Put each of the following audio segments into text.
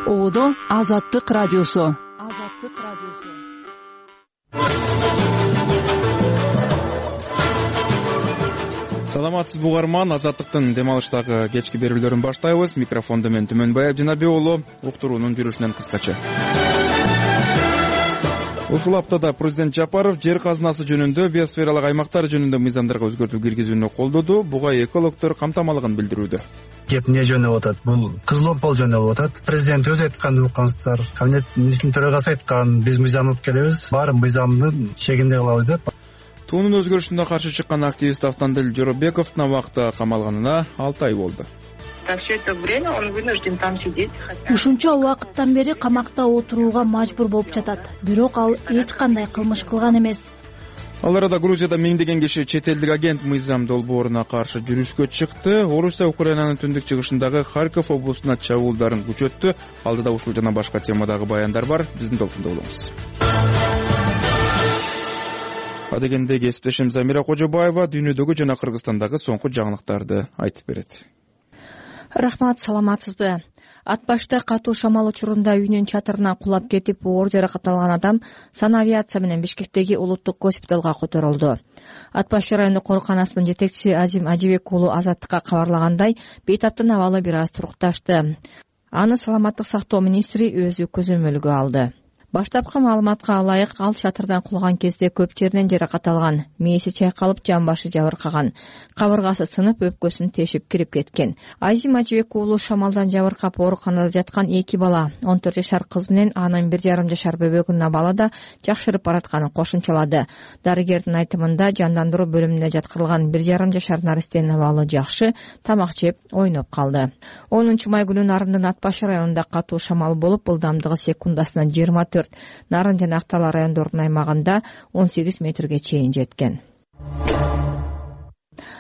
Оодо Азаттык радиосу. Саламатсызбы угарман, Азаттыктын дем алыштагы кечки берүүлөрүн баштайбыз. Микрофондо мен Түмөнбай Абдинабек уулу. Уктуруунун жүрүшүнөн кыскача. Ушул аптада президент Жапаров жер казынасы жөнүндө биосфералык аймактар жөнүндө мыйзамдарга өзгөртүү киргизүүнү колдоду. Буга экологдор камтамалыгын билдирүүдө. Кеп эмне жөнүндө болуп атат? Бул кызыл опол жөнүндө болуп атат. Президент өзү айтканды уккансыздар. Кабинет министринин төрагасы айткан, биз мыйзам алып келебиз, баары мыйзамдын чегинде кылабыз деп. Туунун өзгөрүшүнө каршы чыккан активист Автандил Жоробековдун абакта камалганына 6 ай болду. Все это время он вынужден там сидеть. Ушунча убакыттан бери камакта отурууга мажбур болуп жатат. Бирок ал эч кандай кылмыш кылган эмес. Ал арада Грузияда миңдеген киши чет элдик агент мыйзам долбооруна каршы жүрүшкө чыкты. Орусия Украинанын түндүк чыгышындагы Харьков облусуна чабуулдарын күчөттү. Алдыда ушул жана башка темадагы баяндар бар. Биздин толкунда болуңуз. Адегенде кесиптешим Замира Кожобаева дүйнөдөгү жана Кыргызстандагы соңку жаңылыктарды айтып берет. Рахмат, саламатсызбы? Ат башта катуу шамал учурунда үйүнүн чатырына кулап кетип, оор жаракат алган адам санавиация менен Бишкектеги улуттук госпиталга которулду. Ат баш райондук ооруканасынын жетекчиси Азим Ажибек уулу Азаттыкка кабарлагандай, бейтаптын абалы бир аз турукташты. Аны саламаттык сактоо министри өзү көзөмөлгө алды. Баштапкы маалыматка ылайык, ал чатырдан кулган кезде көп жеринен жаракат алган, мээси чайкалып, жамбашы жабыркаган, кабыргасы сынып, өпкөсүн тешип кирип кеткен. Азим Ажибек уулу шамалдан жабыркап ооруканада жаткан 2 бала, 14 жашар кыз менен анын 1,5 жашар бөбөгүнүн абалы да жакшырып баратканын кошумчалады. Дарыгердин айтымында, жандандыруу бөлүмүнө жаткырылган 1,5 жашар наристенин абалы жакшы, тамак жеп, ойноп калды. 10 май күнү Нарындын Ат баш районунда катуу шамал болуп, ылдамдыгы секундасына 24, Нарын жана Актала райондорунун аймагында 18 метрге чейин жеткен.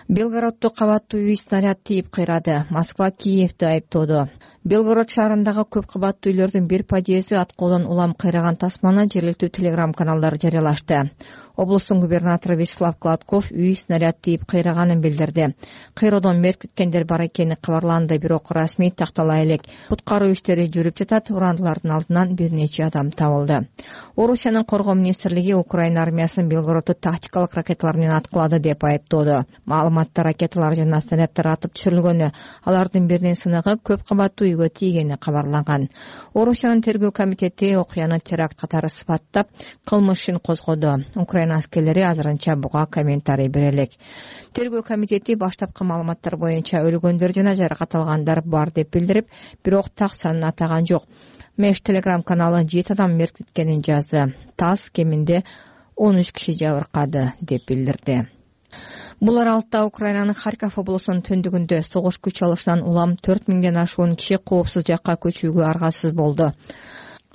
Белгороддо кабаттуу үй снаряд тийип кыйрады. Москва Киевди айыптоодо. Белгород шаарындагы көп кабаттуу үйлөрдүн бир подъезди аткоодон улам кыйраган тасманы жергиликтүү телеграм-каналдар жарыялашты. Облустун губернатору Вячеслав Гладков үй снаряд тийип кыйраганын билдирди. Кыйроодон мерт кеткендер бар экени кабарланды, бирок расмий тактала элек. Куткаруу иштери жүрүп жатат, урандылардын алдынан бир нече адам табылды. Орусиянын коргоо министрлиги Украина армиясынын Белгородду тактикалык ракеталар менен аткылады деп айыптоодо. Маалыматта ракеталар жана снаряддар атып түшүрүлгөнү, алардын биринин сыныгы көп кабаттуу үйгө тийгени кабарланган. Орусиянын тергөө комитети окуяны теракт катары сыпаттап, кылмыш ишин козгоду. Украина аскерлери азырынча буга комментарий бере элек. Тергөө комитети баштапкы маалыматтар боюнча өлгөндөр жана жаракат алгандар бар деп билдирип, бирок так санын атаган жок. Меш телеграм-каналы 7 адам мерт кеткенин жазды. ТАСС кеминде 13 киши жабыркады деп билдирди. Бул аралыкта Украинанын Харьков облусунун түндүгүндө согуш күч алышынан улам 4000ден ашуун киши коопсуз жакка көчүүгө аргасыз болду.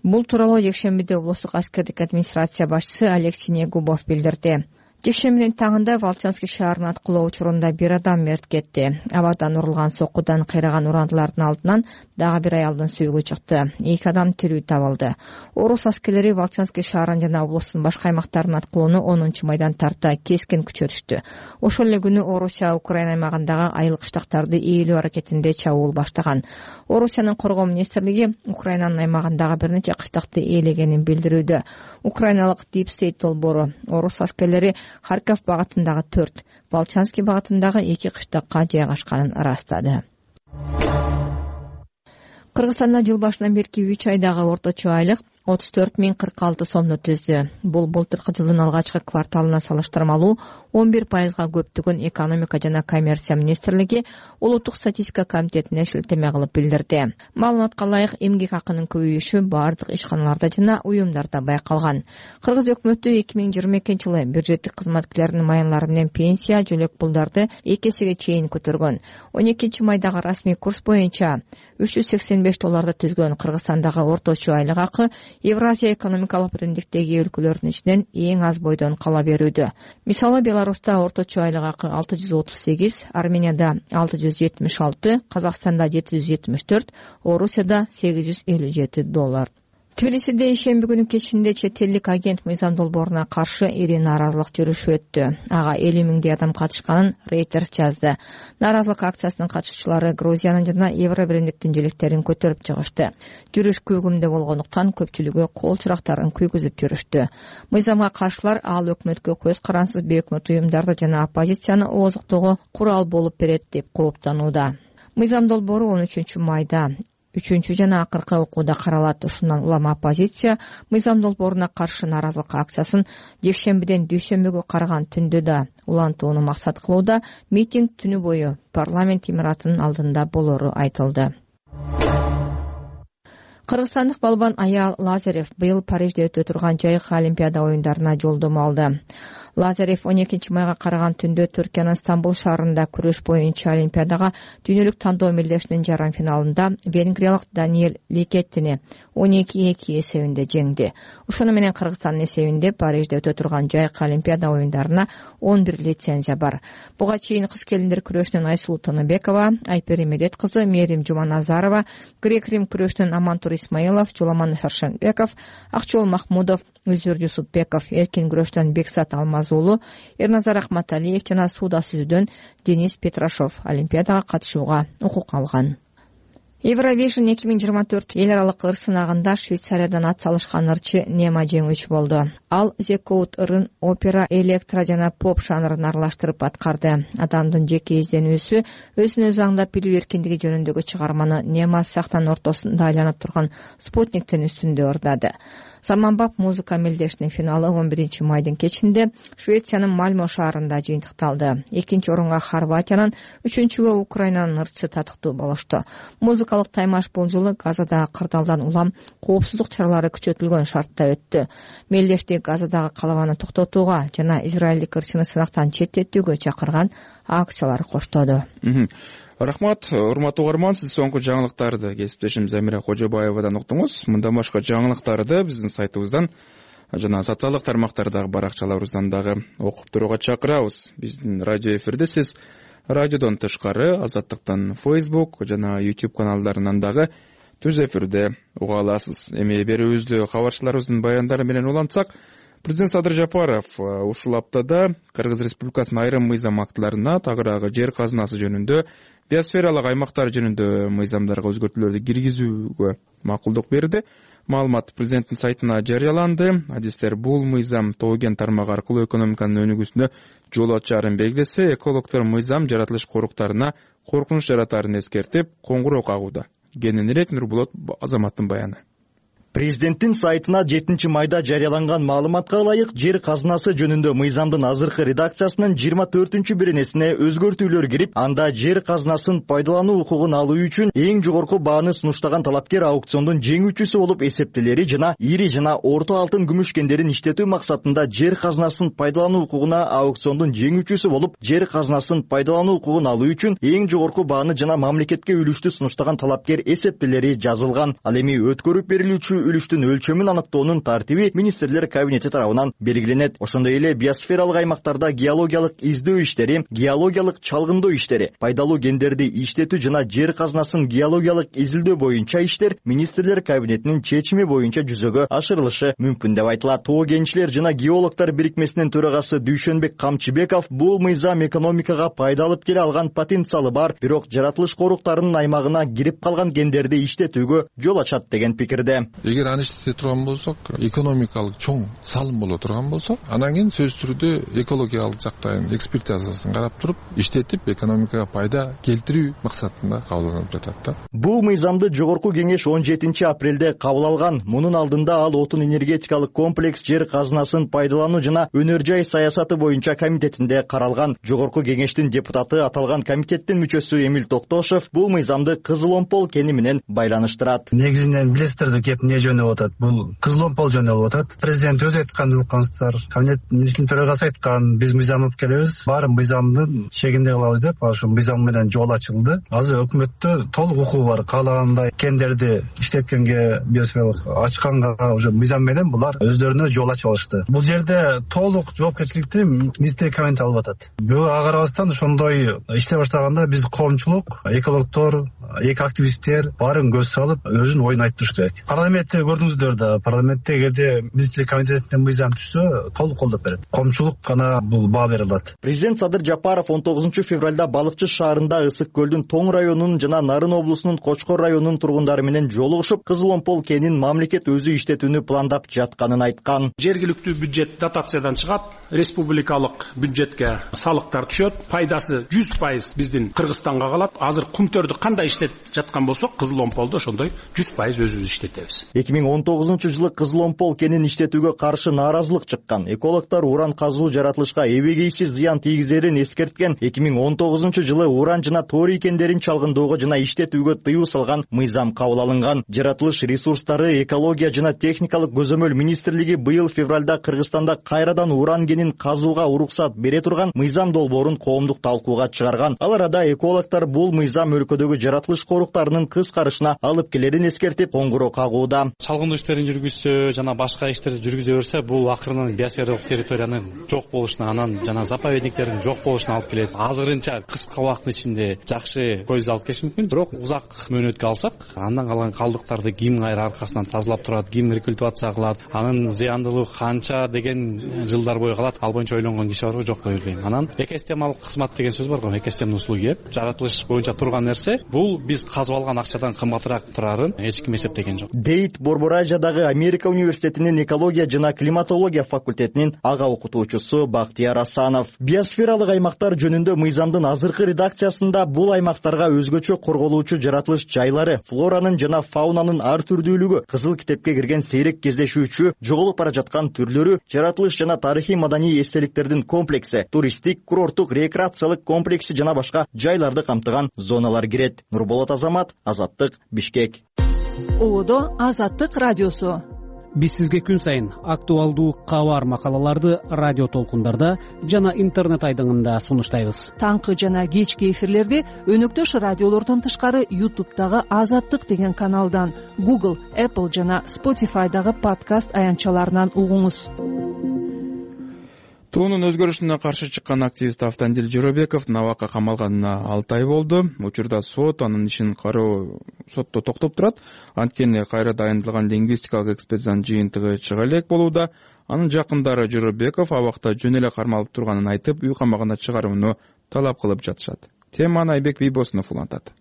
Бул тууралуу жекшембиде облустук аскердик администрация башчысы Алексей Негубов билдирди. Жекшембинин таңында Волчанский шаарынын аткылоо учурунда бир адам мерт кетти. Абадан урулган соккудан кыйраган урандылардын алдынан дагы бир аялдын сүйүгү чыкты. 2 адам тирүү табылды. Орус аскерлери Волчанский шаарын жана облустун башка аймактарынын аткылоону 10 майдан тарта кескен күчөтүштү. Ошол эле күнү Орусия Украина аймагындагы айыл кыштактарды ээлөө аракетинде чабуул баштаган. Орусиянын коргоо министрлиги Украинанын аймагындагы бир нече кыштакты ээлегенин билдирүүдө. Украиналык Deep State долбоору орус аскерлери Харьков багытындагы 4, Волчанский багытындагы 2 кыштакка жайгашканын ырастады. Кыргызстанда жыл башынан берки 3 айдагы орточо айлык 34.046 сомду түздү. Бул былтыркы жылдын алгачкы кварталына салыштырмалуу 11%га көптүгүн экономика жана коммерция министрлиги улуттук статистика комитетине шилтеме кылып билдирди. Маалыматка ылайык, эмгек акынын көбөйүшү бардык ишканаларда жана уюмдарда байкалган. Кыргыз өкмөтү 2022-жылы бюджеттик кызматкерлердин маянлары менен пенсия, жөлөк пулдарды 2 эсеге чейин көтөргөн. 12 майдагы расмий курс боюнча $385 түзгөн Кыргызстандагы орточо айлык акы Евразия экономикалык биримдиктеги өлкөлөрдүн ичинен эң аз бойдон кала берүүдө. Мисалы, Беларуста орточо айлык акы 638, Арменияда 676, Казакстанда 774, Орусияда $857. Тбилисиде ишемби күнү кечинде чет элдик агент мыйзам долбооруна каршы ири нааразылык жүрүшү өттү. Ага 50 миңдей адам катышканын Reuters жазды. Нааразылык акциясынын катышуучулары Грузиянын жана Евробиримдиктин желектерин көтөрүп чыгышты. Жүрүш күүгүмдө болгондуктан көпчүлүгү кол чырактарын күйгүзүп жүрүштү. Мыйзамга каршылар ал өкмөткө көз карансыз бейөкмөт уюмдарды жана оппозицияны ооздуктоого курал болуп берет деп кооптанууда. Мыйзам долбоору 13 майда 3 жана акыркы окууда каралат. Ушундан улам оппозиция мыйзам долбооруна каршы нааразылык акциясын жекшембиден дүйшөмбүгө караган түндө да улантууну максат кылууда. Митинг түнү бою парламент имаратынын алдында болору айтылды. Кыргызстандык балбан Аял Лазарев быйыл Парижде өтө турган жайкы Олимпиада оюндарына жолдомо алды. Лазарев 12 майга караган түндө Түркиянын Стамбул шаарында күрөш боюнча Олимпиадага дүйнөлүк тандоо мелдешинин жарым финалында венгриялык Даниэль Ликеттини 12-2 эсебинде жеңди. Ошону менен Кыргызстандын эсебинде Парижде өтө турган жайкы Олимпиада оюндарына 11 лицензия бар. Буга чейин кыз келиндер күрөшүнөн Айсулуу Тыныбекова, Айпери Медет кызы Мерим Жуманазарова, грек-рим күрөшүнөн Амантур Исмаилов, Жуламан Шаршенбеков, Акчол Махмудов, Үлзүр Юсупбеков, эркин күрөштөн Бексат Алмазуулу, Эрназар Ахматалиев жана сууда сүзүүдөн Денис Петрашов Олимпиадага катышууга укук алган. Евровижн 2024 эл аралык ыр сынагында Швейцариядан ат салышкан ырчы Нема жеңүүчү болду. Ал Зекоут ырын опера, электро жана поп жанрын аралаштырып аткарды. Адамдын жеке изденүүсү, өзүн өзү аңдап билүү эркиндиги жөнүндөгү чыгарманы Нема сахнанын ортосунда айланып турган спутниктин үстүндө ырдады. Заманбап музыка мелдешинин финалы 11 майдын кечинде Швециянын Мальмо шаарында жыйынтыкталды. 2-орунга Хорватиянын, 3-гө Украинанын ырчы татыктуу болушту. Музыкалык таймаш бул жылы Газадагы кырдаалдан улам коопсуздук чаралары күчөтүлгөн шартта өттү. Мелдешти Газадагы калабаны токтотууга жана израилдик ырчыны сынактан четтетүүгө чакырган акциялар коштоду. Рахмат, урматтуу угарман, сиз соңку жаңылыктарды кесиптешим Замира Кожобаевадан уктуңуз. Мындан башка жаңылыктарды биздин сайтыбыздан жана социалдык тармактардагы баракчаларыбыздан дагы окуп турууга чакырабыз. Биздин радио эфирде сиз радиодон тышкары Азаттыктын Facebook жана YouTube каналдарынан дагы түз эфирде уга аласыз. Эми берүүбүздү кабарчыларыбыздын баяндары менен улантсак, Президент Садыр Жапаров ушул аптада Кыргыз Республикасынын айрым мыйзам актыларына, тагыраагы жер казынасы жөнүндө, биосфералык аймактар жөнүндө мыйзамдарга өзгөртүүлөрдү киргизүүгө макулдук берди. Маалымат президенттин сайтына жарыяланды. Адистер бул мыйзам тоо-кен тармагы аркылуу экономиканын өнүгүүсүнө жол ачаарын белгилесе, экологдор мыйзам жаратылыш коруктарына коркунуч жаратаарын эскертип, коңгуроо кагууда. Кененирээк Нурболот Азаматтын баяны. Президенттин сайтына 7 майда жарыяланган маалыматка ылайык, жер казынасы жөнүндө мыйзамдын азыркы редакциясынын 24-беренесине өзгөртүүлөр кирип, анда жер казынасын пайдалануу укугун алуу үчүн эң жогорку бааны сунуштаган талапкер аукциондун жеңүүчүсү болуп эсептелери жана ири жана орто алтын күмүш кендерин иштетүү максатында жер казынасын пайдалануу укугуна аукциондун жеңүүчүсү болуп, жер казынасын пайдалануу укугун алуу үчүн эң жогорку бааны жана мамлекетке үлүштү сунуштаган талапкер эсептелери жазылган. Ал эми өткөрүп берилүүчү үлүштүн өлчөмүн аныктоонун тартиби министрлер кабинети тарабынан белгиленет. Ошондой эле биосфералык аймактарда геологиялык издөө иштери, геологиялык чалгындоо иштери, пайдалуу кендерди иштетүү жана жер казынасын геологиялык изилдөө боюнча иштер министрлер кабинетинин чечими боюнча жүзөгө ашырылышы мүмкүн деп айтылат. Тоо кенчилер жана геологдор бирикмесинин төрагасы Дүйшөнбек Камчыбеков бул мыйзам экономикага пайда алып келе алган потенциалы бар, бирок жаратылыш коруктарынын аймагына кирип калган кендерди иштетүүгө жол ачат деген пикирде. Эгер аны иштете турган болсок, экономикалык чоң салым боло турган болсо, анан кийин сөзсүз түрдө экологиялык жактан экспертизасын карап туруп, иштетип экономикага пайда келтирүү максатында кабылданып жатат да. Бул мыйзамды жогорку кеңеш 17 апрелде кабыл алган. Мунун алдында ал отун энергетикалык комплекс жер казынасын пайдалануу жана өнөр жай саясаты боюнча комитетинде каралган. Жогорку кеңештин депутаты аталган комитеттин мүчөсү Эмил Токтошев бул мыйзамды Кызыл Омпол кени менен байланыштырат. Негизинен билесиздер кеп не жөнүп атат. Бул Кызыл Омпол жөнүп атат. Президент өзү айтканды уккансыздар. Кабинет министринин төрагасы айткан, биз мыйзам алып келебиз, баары мыйзамдын чегинде кылабыз деп, ошо мыйзам менен жол ачылды. Азыр өкмөттө толук укугу бар. Каалагандай кендерди иштеткенге, биосфералык ачканга уже мыйзам менен булар өздөрүнө жол ачып алышты. Бул жерде толук жоопкерчиликти министрлик кабинети алып атат. Бирок ага карабастан ошондой иштей баштаганда биз коомчулук, экологдор, эко активисттер баарын көз салып өзүнүн оюн айтып туруш керек. Парламент парламентте көрдүңүздөр да, парламентте эгерде министрлик комитетинен мыйзам түшсө толук колдоп берет. Коомчулук гана бул баа бере алат. Президент Садыр Жапаров 19 февралда Балыкчы шаарында Ысык көлдүн Тоң районунун жана Нарын облусунун Кочкор районунун тургундары менен жолугушуп, Кызыл Омпол кенин мамлекет өзү иштетүүнү пландап жатканын айткан. Жергиликтүү бюджет дотациядан чыгат, республикалык бюджетке салыктар түшөт, пайдасы 100% биздин Кыргызстанга калат. Азыр кумтөрдү кандай иштетип жаткан болсок, Кызыл Омполдо ошондой 100% өзүбүз иштетебиз. 2019-жылы Кызыл Омпол кенин иштетүүгө каршы нааразылык чыккан. Экологдор уран казуу жаратылышка эбегейсиз зыян тийгизерин эскерткен. 2019-жылы уран жана торий кендерин чалгындоого жана иштетүүгө тыюу салган мыйзам кабыл алынган. Жаратылыш ресурстары, экология жана техникалык көзөмөл министрлиги быйыл февралда Кыргызстанда кайрадан уран кенин казууга уруксат бере турган мыйзам долбоорун коомдук талкууга чыгарган. Ал арада экологдор бул мыйзам өлкөдөгү жаратылыш коруктарынын кыскарышына алып келерин эскертип, коңгуроо кагууда. Чалгындоо иштерин жүргүзсө жана башка иштерди жүргүзө берсе, бул акырынан биосфералык территориянын жок болушуна, анан жана заповедниктердин жок болушуна алып келет. Азырынча кыска убакыттын ичинде жакшы көз алып келиш мүмкүн, бирок узак мөөнөткө алсак, андан калган калдыктарды ким кайра аркасынан тазалап турат, ким рекультивация кылат, анын зыяндуулугу канча деген жылдар бою калат. Ал боюнча ойлонгон киши барбы, жок деп билбейм. Анан экосистемалык кызмат деген сөз бар го, экосистемный услуги. Жаратылыш боюнча турган нерсе, бул биз казып алган акчадан кымбатыраак турарын эч ким эсептеген жок. Дейт Борборажиядагы Америка университетинин экология жана климатология факультетинин ага окутуучусу Бактияр Асанов. Биосфералык аймактар жөнүндө мыйзамдын азыркы редакциясында бул аймактарга өзгөчө корголуучу жаратылыш жайлары, флоранын жана фаунанын ар түрдүүлүгү, кызыл китепке кирген сейрек кездешүүчү, жоголуп бара жаткан түрлөрү, жаратылыш жана тарыхый маданий эстеликтердин комплекси, туристтик, курорттук, рекреациялык комплекси жана башка жайларды камтыган зоналар кирет. Нурболот Азамат, Азаттык, Бишкек. Ободо Азаттык радиосу. Биз сизге күн сайын актуалдуу кабар макалаларды радио толкундарда жана интернет айдыңында сунуштайбыз. Таңкы жана кечки эфирлерди өнөктөш радиолордон тышкары YouTube'дагы Азаттык деген каналдан, Google, Apple жана Spotify'дагы подкаст аянтчаларынан угуңуз. Туунун өзгөрүшүнө каршы чыккан активист Автандил Жоробеков набакка камалганына 6 ай болду. Учурда сот анын ишин кароо сотто токтоп турат. Анткени кайра дайындалган лингвистикалык экспертизанын жыйынтыгы чыга элек болууда. Анын жакындары Жоробеков абакта жөн эле кармалып турганын айтып, үй камагына чыгарууну талап кылып жатышат. Теманы Айбек Бийбосунов улантат.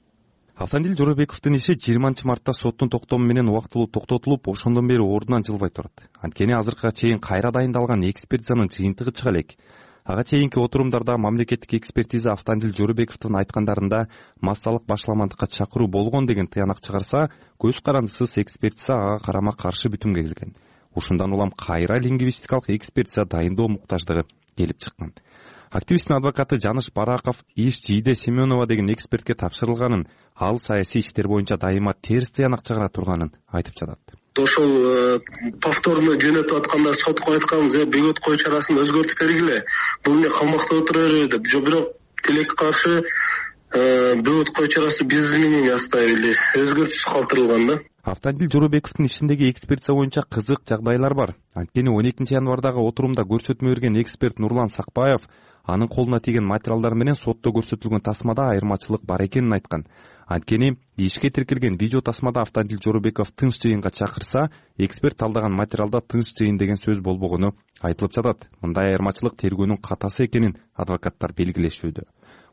Автандил Жоробековдун иши 20-мартта соттун токтому менен убактылуу токтотулуп, ошондон бери ордунан жылбай турат. Анткени азыркыга чейин кайра дайындалган экспертизанын жыйынтыгы чыга элек. Ага чейинки отурумдарда мамлекеттик экспертиза Автандил Жоробековдун айткандарында массалык башаламандыкка чакыруу болгон деген тыянак чыгарса, көз карандысыз экспертиза ага карама каршы бүтүмгө келген. Ушундан улам кайра лингвистикалык экспертиза дайындоо муктаждыгы келип чыккан. Активисттин адвокаты Жаныш Бараков иш Жийде Семенова деген экспертке тапшырылганын, ал саясий иштер боюнча дайыма терс тыянак чыгара турганын айтып жатат. Ошол повторно жөнөтүп атканда сотко айтканбыз, бөгөт кою чарасын өзгөртүп бергиле. Бул эмне камакта отура бербей деп. Бирок тилекке каршы бөгөт кою чарасы биз менен оставили, өзгөртүүсүз калтырылган да. Автандил Жоробековдун ишиндеги экспертиза боюнча кызык жагдайлар бар. Анткени 12-январдагы отурумда көрсөтмө берген эксперт Нурлан Сакбаев анын колуна тийген материалдар менен сотто көрсөтүлгөн тасмада айырмачылык бар экенин айткан. Анткени ишке тиркелген видео тасмада Автандил Жоробеков тынч жыйынга чакырса, эксперт талдаган материалда тынч жыйын деген сөз болбогону айтылып жатат. Мындай айырмачылык тергөөнүн катасы экенин адвокаттар белгилешүүдө.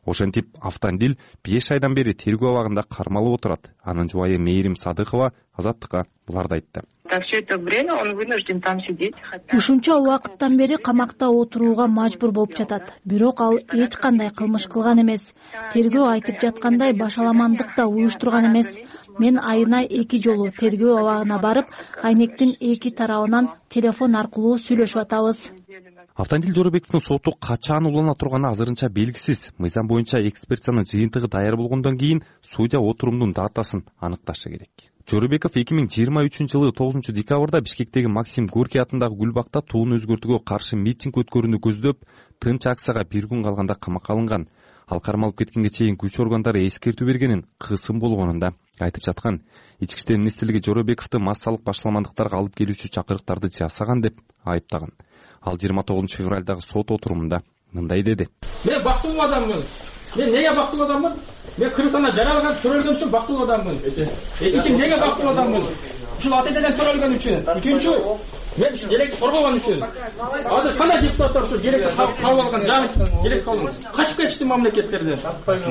Ошентип Автандил 5 айдан бери тергөө абагында кармалып отурат. Анын жубайы Мээрим Садыкова Азаттыкка буларды айтты. Все это время он вынужден там сидеть. Ушунча убакыттан бери камакта отурууга мажбур болуп жатат. Бирок ал эч кандай кылмыш кылган эмес. Тергөө айтып жаткандай башаламандык да уюштурган эмес. Мен айына 2 жолу тергөө абагына барып, айнектин 2 тарабынан телефон аркылуу сүйлөшүп атабыз. Автандил Жоробековдун соту качан улана турганы азырынча белгисиз. Мыйзам боюнча экспертизанын жыйынтыгы даяр болгондон кийин судья отурумдун датасын аныкташы керек. Жоробеков 2023-жылы 9-декабрда Бишкектеги Максим Горький атындагы Гүлбакта туун өзгөртүүгө каршы митинг өткөрүүнү көздөп, тынч акцияга 1 күн калганда камакка алынган. Ал кармалып кеткенге чейин күч органдары эскертүү бергенин, кысым болгонун да айтып жаткан. Ички иштер министрлиги Жоробековду массалык башаламандыктарга алып келүүчү чакырыктарды жасаган деп айыптаган. Ал 29-февралдагы сот отурумунда мындай деди. Мен бактылуу адаммын. Мен неге бактылуу адаммын? Мен Кыргызстанда жаралган төрөлгөн үчүн бактылуу адаммын. Эки неге бактылуу адаммын? ушул ата энеден төрөлгөн үчүн, үчүнчү мен желекти коргогон үчүн азыр кандай депутаттар ушул желекти кабыл алган жаңы желек кабыл качып кетишти мамлекеттерден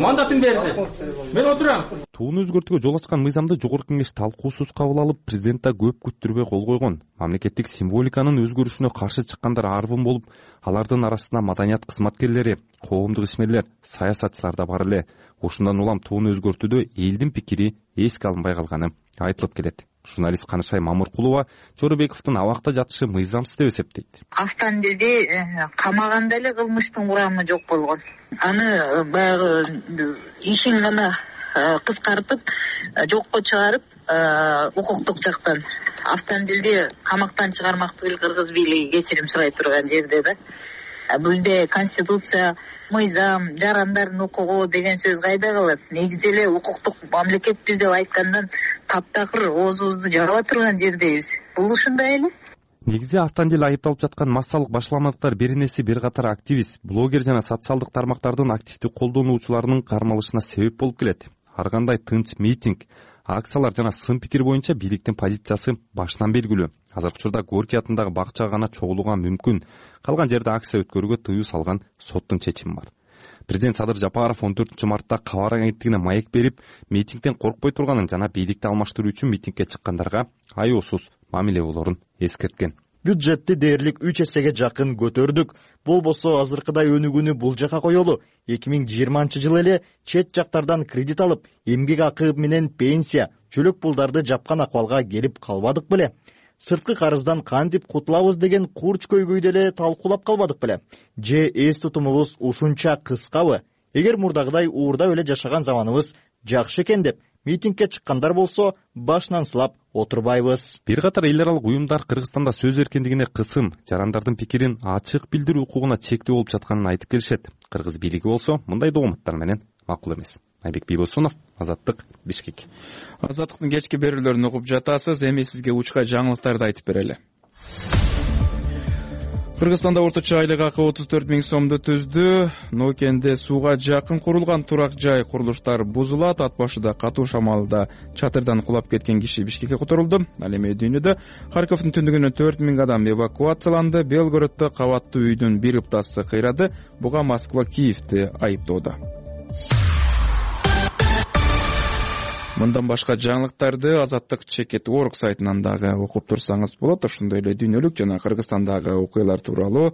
мандатын берди. Мен отурам. Тууну өзгөртүүгө жол ачкан мыйзамды жогорку кеңеш талкуусуз кабыл алып, президент да көп күттүрбөй кол койгон. Мамлекеттик символиканын өзгөрүшүнө каршы чыккандар арбын болуп, алардын арасында маданият кызматкерлери, коомдук ишмерлер, саясатчылар да бар эле. Ушундан улам тууну өзгөртүүдө элдин пикири эске алынбай калганы айтылып келет. Журналист Канышай Мамыркулова Жоробековдун абакта жатышы мыйзамсыз деп эсептейт. Автандилди камаганда эле кылмыштын курамы жок болгон. Аны баягы ишин гана кыскартып, жокко чыгарып, укуктук жактан автандилди камактан чыгармак түгүл кыргыз бийлиги кечирим сурай турган жерде да. Бизде конституция, мыйзам, жарандардын укугу деген сөз кайда калат? Негизи эле укуктук мамлекетпиз деп айткандан таптакыр оозубузду жаба турган жердебиз. Бул ушундай эле. Негизи автандил айыпталып жаткан массалык башаламалыктар беренеси бир катар активист, блогер жана социалдык тармактардын активдүү колдонуучуларынын кармалышына себеп болуп келет. Ар кандай тынч митинг, акциялар жана сын пикир боюнча бийликтин позициясы башынан белгилүү. Азыркы учурда Горький атындагы бакчага гана чогулууга мүмкүн. Калган жерде акция өткөрүүгө тыюу салган соттун чечими бар. Президент Садыр Жапаров 14-мартта кабар агенттигине маек берип, митингден коркпой турганын жана бийликти алмаштыруу үчүн митингге чыккандарга аяосуз мамиле болорун эскерткен. Бюджетти дээрлик 3 эсеге жакын көтөрдүк. Болбосо азыркыдай өнүгүүнү бул жака коелу. 2020-жылы эле чет жактардан кредит алып, эмгек акы менен пенсия, чөлөк пулдарды жапкан акыбалга келип калбадык беле? Сырткы карыздан кантип кутулабыз деген курч көйгөйдү эле талкуулап калбадык беле? Же эс тутумубуз ушунча кыскабы? Эгер мурдагыдай уурдап эле жашаган заманыбыз жакшы экен деп митингге чыккандар болсо, башынан сылап отурбайбыз. Бир катар эл аралык уюмдар Кыргызстанда сөз эркиндигине кысым, жарандардын пикирин ачык билдирүү укугуна чектөө болуп жатканын айтып келишет. Кыргыз бийлиги болсо мындай догматтар менен макул эмес. Айбек Бийбосунов, Азаттык, Бишкек. Азаттыктын кечки берүүлөрүн угуп жатасыз. Эми сизге учка жаңылыктарды айтып берели. Кыргызстанда орточо айлык акы 34 000 сомду түздү. Нокенде сууга жакын курулган турак жай курулуштар бузулат. Ат башыда катуу шамалда чатырдан кулап кеткен киши Бишкекке которулду. Ал эми дүйнөдө Харьковдун түндүгүнөн 4 000 адам эвакуацияланды. Белгороддо кабаттуу үйдүн бир ыптасы кыйрады. Буга Москва Киевди айыптоодо. Мындан башка жаңылыктарды Азаттык Чекет.org сайтынан дагы окуп турсаңыз болот. Ошондой эле дүйнөлүк жана Кыргызстандагы окуялар тууралуу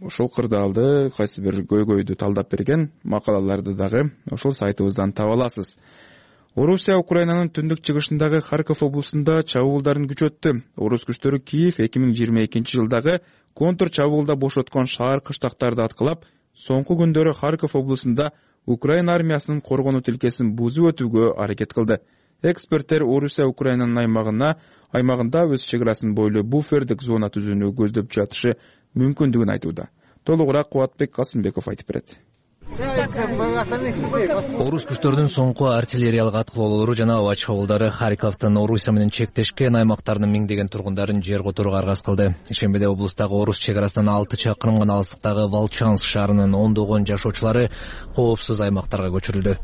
ушул кырдаалды кайсы бир көйгөйдү талдап берген макалаларды дагы ошол сайтыбыздан таба аласыз. Орусия Украинанын түндүк чыгышындагы Харьков облусунда чабуулдарын күчөттү. Орус күчтөрү Киев 2022-жылдагы контр чабуулда бошоткон шаар кыштактарды аткылап, соңку күндөрү Харьков облусунда Украина армиясынын коргонуу тилкесин бузуп өтүүгө аракет кылды. Эксперттер Орусия Украинанын аймагында өз чек арасын бойлуу буфердик зона түзүүнү көздөп жатышы мүмкүндүгүн айтууда. Толугураак Кубатбек Касымбеков айтып берет. Орус күчтөрүнүн соңку артиллериялык аткылоолору жана аба чабуулдары Харьковдун Орусия менен чектешкен аймактарынын миңдеген тургундарын жер которууга аргасыз кылды. Ишембиде облустагы орус чек арасынан 6 чакырым гана алыстыктагы Волчанск шаарынын ондогон жашоочулары коопсуз аймактарга көчүрүлдү.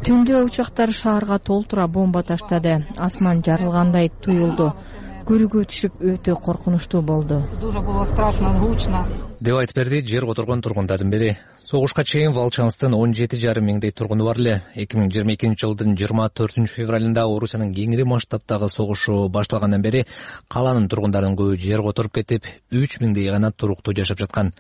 Түндө учактар шаарга толтура бомба таштады. Асман жарылгандай туюлду. Көрүүгө түшүп өтө коркунучтуу болду деп айтып берди жер которгон тургундардын бири. Согушка чейин Волчанстын 17,5 миңдей тургуну бар эле. 2022-жылдын 24 февралында Орусиянын кеңири масштабтагы согушу башталгандан бери каланын тургундарынын көбү жер которуп кетип, 3 миңдей гана туруктуу жашап жаткан.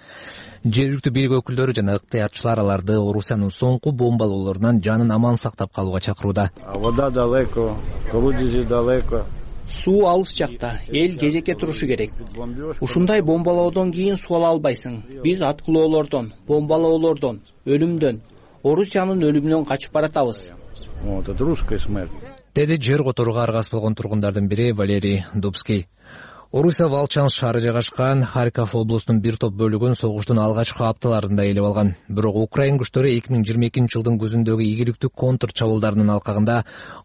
Жергиликтүү бийлик өкүлдөрү жана ыктыярчылар аларды Орусиянын соңку бомбалоолорунан жанын аман сактап калууга чакырууда. Вода далеко, колодези далеко. Суу алыс жакта, эл кезекке турушу керек. Ушундай бомбалоодон кийин суу ала албайсың. Биз аткылоолордон, бомбалоолордон, өлүмдөн, Орусиянын өлүмүнөн качып баратабыз. Деди жер которууга аргасыз болгон тургундардын бири Валерий Дубский. Орусия Волчанск шаары жайгашкан Харьков облусунун бир топ бөлүгүн согуштун алгачкы апталарында ээлеп алган. Бирок Украин күчтөрү 2022-жылдын күзүндөгү ийгиликтүү контр чабуулдарынын алкагында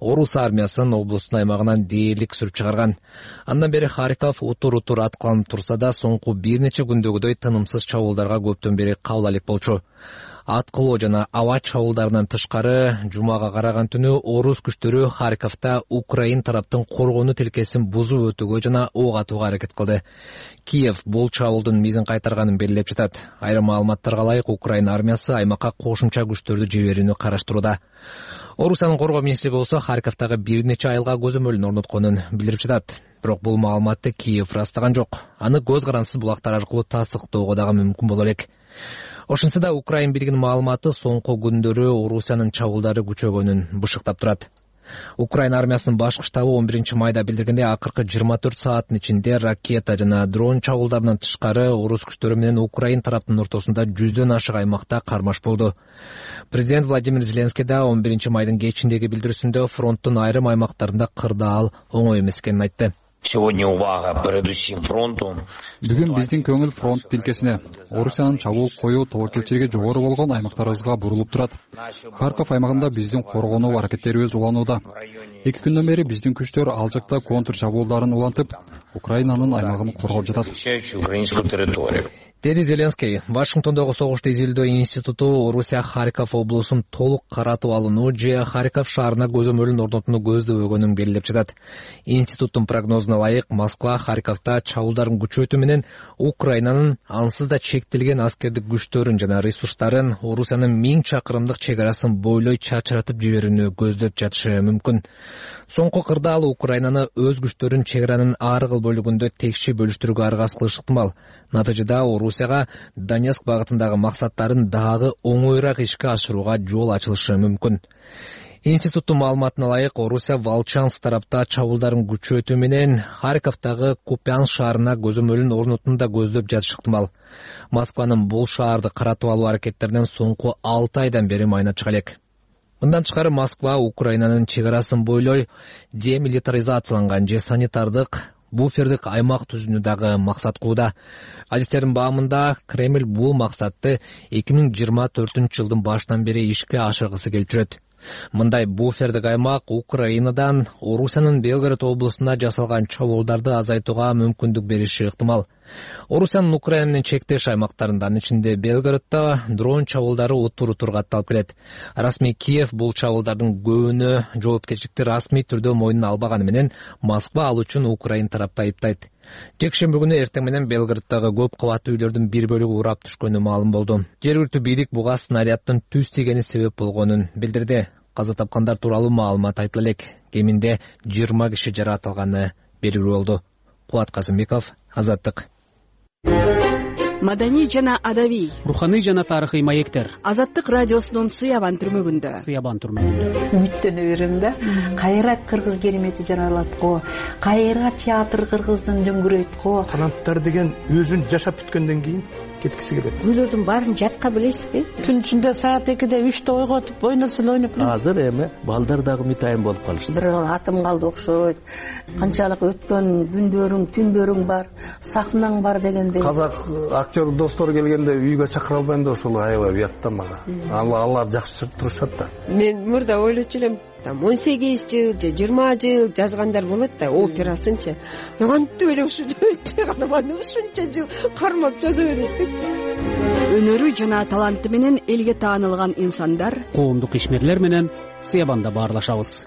Орус армиясын облустун аймагынан дээрлик сүрүп чыгарган. Андан бери Харьков утур-утур аткыланып турса да, соңку бир нече күндөгүдөй тынымсыз чабуулдарга көптөн бери кабыл алек болчу. Аткылоо жана аба чабуулдарынан тышкары жумага караган түнү орус күчтөрү Харьковдо Украин тараптын коргонуу тилкесин бузуп өтүүгө жана ок атууга аракет кылды. Киев бул чабуулдун мизин кайтарганын белгилеп жатат. Айрым маалыматтарга ылайык Украин армиясы аймакка кошумча күчтөрдү жиберүүнү караштырууда. Орусиянын коргоо министри болсо Харьковдогу бир нече айылга көзөмөлүн орнотконун билдирип жатат. Бирок бул маалыматты Киев ырастаган жок. Аны көз карансыз булактар аркылуу тастыктоого дагы мүмкүн боло элек. Ошентсе да Украин бийлигинин маалыматы соңку күндөрү Орусиянын чабуулдары күчөгөнүн бышыктап турат. Украин армиясынын башкы штабы 11 майда билдиргендей, акыркы 24 сааттын ичинде ракета жана дрон чабуулдарынан тышкары орус күчтөрү менен Украин тараптын ортосунда 100дөн ашык аймакта кармаш болду. Президент Владимир Зеленский да 11 майдын кечиндеги билдирүүсүндө фронттун айрым аймактарында кырдаал оңой эмес экенин айтты. Бүгүн биздин көңүл фронт тилкесине, Орусиянын чабуул коюу тобокелчилиги жогору болгон аймактарыбызга бурулуп турат. Харьков аймагында биздин коргонуу аракеттерибиз уланууда. 2 күндөн бери биздин күчтөр ал жакта контр чабуулдарын улантып, Украинанын аймагын коргоп жатат. Деди Зеленский Вашингтондогу согушту изилдөө институту Орусия Харьков облусун толук каратып алууну же Харьков шаарына көзөмөлүн орнотууну көздөбөгөнүн белгилеп жатат. Институттун прогнозуна ылайык, Москва Харьковдо чабуулдарын күчөтүү менен Украинанын ансыз да чектелген аскердик күчтөрүн жана ресурстарын Орусиянын 1000 чакырымдык чек арасын бойлой чачыратып жиберүүнү көздөп жатышы мүмкүн. Соңку кырдаал Украинаны өз күчтөрүн чек аранын ар кыл бөлүгүндө текши бөлүштүрүүгө аргасыз кылышы ыктымал. Натыйжада Орусияга Донецк багытындагы максаттарын дагы оңоюраак ишке ашырууга жол ачылышы мүмкүн. Институттун маалыматына ылайык, Орусия Волчанск тарапта чабуулдарын күчөтүү менен Харьковдогу Купянск шаарына көзөмөлүн орнотууну да көздөп жатышы ыктымал. Москванын бул шаарды каратып алуу аракеттеринен соңку 6 айдан бери майнап чыга элек. Мындан тышкары Москва Украинанын чек арасын бойлой демилитаризацияланган же санитардык буфердик аймак түзүүнү дагы максат кылууда. Адистердин баамында Кремль бул максатты 2024 жылдын башынан бери ишке ашыргысы келип жүрөт. Мындай буфердик аймак Украинадан Орусиянын Белгород облусуна жасалган чабуулдарды азайтууга мүмкүндүк бериши ыктымал. Орусиянын Украина менен чектеш аймактарында, анын ичинде Белгороддо дрон чабуулдары утуру катталып келет. Расмий Киев бул чабуулдардын көбүнө жоопкерчиликти расмий түрдө мойнуна албаганы менен Москва ал үчүн Украин тарапты айыптайт. Жекшемби күнү эртең менен Белгороддогу көп кабаттуу үйлөрдүн бир бөлүгү урап түшкөнү маалым болду. Жергиликтүү бийлик буга снаряддын түз тийгени себеп болгонун билдирди. Каза тапкандар тууралуу маалымат айтыла элек. Кеминде 20 киши жаракат алганы белгилүү болду. Кубат Казымбеков, Азаттык. Маданий жана адабий, руханий жана тарыхый маектер. Азаттык радиосунун Сыябан түрмөгүндө. Үмүттөнө берем да. Кайра кыргыз керемети жаралат го. Кайра театр кыргыздын дөңгүрөйт го. Таланттар деген өзүн жашап бүткөндөн кийин кеткиси келет. Күйлөрдүн баарын жатка билесизби? Түн ичинде саат 2-де 3-те ойготуп, ойносул ойноп. Азыр эми балдар дагы мытайын болуп калышты. Бир атым калды окшойт. Канчалык өткөн күндөрүң, түндөрүң бар, сахнаң бар дегендей. Казак актер достор келгенде үйгө чакыра албайм да ошол аябай уят да мага. Алар жакшы турушат да. Мен мурда ойлочу элем, 18 жыл же 20 жыл жазгандар болот да, операсынчы. Кантип эле ушунча каарман ушунча жыл кармап жаза берет. Өнөрү жана таланты менен элге таанылган инсандар, коомдук ишмерлер менен Сыябанда баарлашабыз.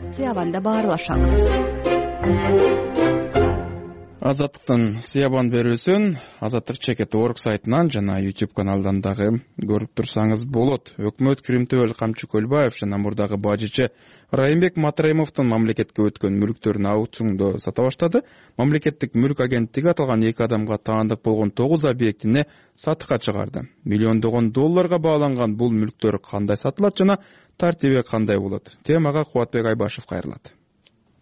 Азаттыктын Сыябан берүүсүн Азаттык Чекет.org сайтынан жана YouTube каналынан дагы көрүп турсаңыз болот. Өкмөт Кримтөбөл Камчы Көлбаев жана мурдагы бажычы Райымбек Матраимовдун мамлекетке өткөн мүлктөрүн аукциондо сата баштады. Мамлекеттик мүлк агенттиги аталган 2 адамга таандык болгон 9 объектини сатыкка чыгарды. Миллиондогон долларга бааланган бул мүлктөр кандай сатылат жана тартиби кандай болот? Темага Кубатбек Айбашев кайрылат.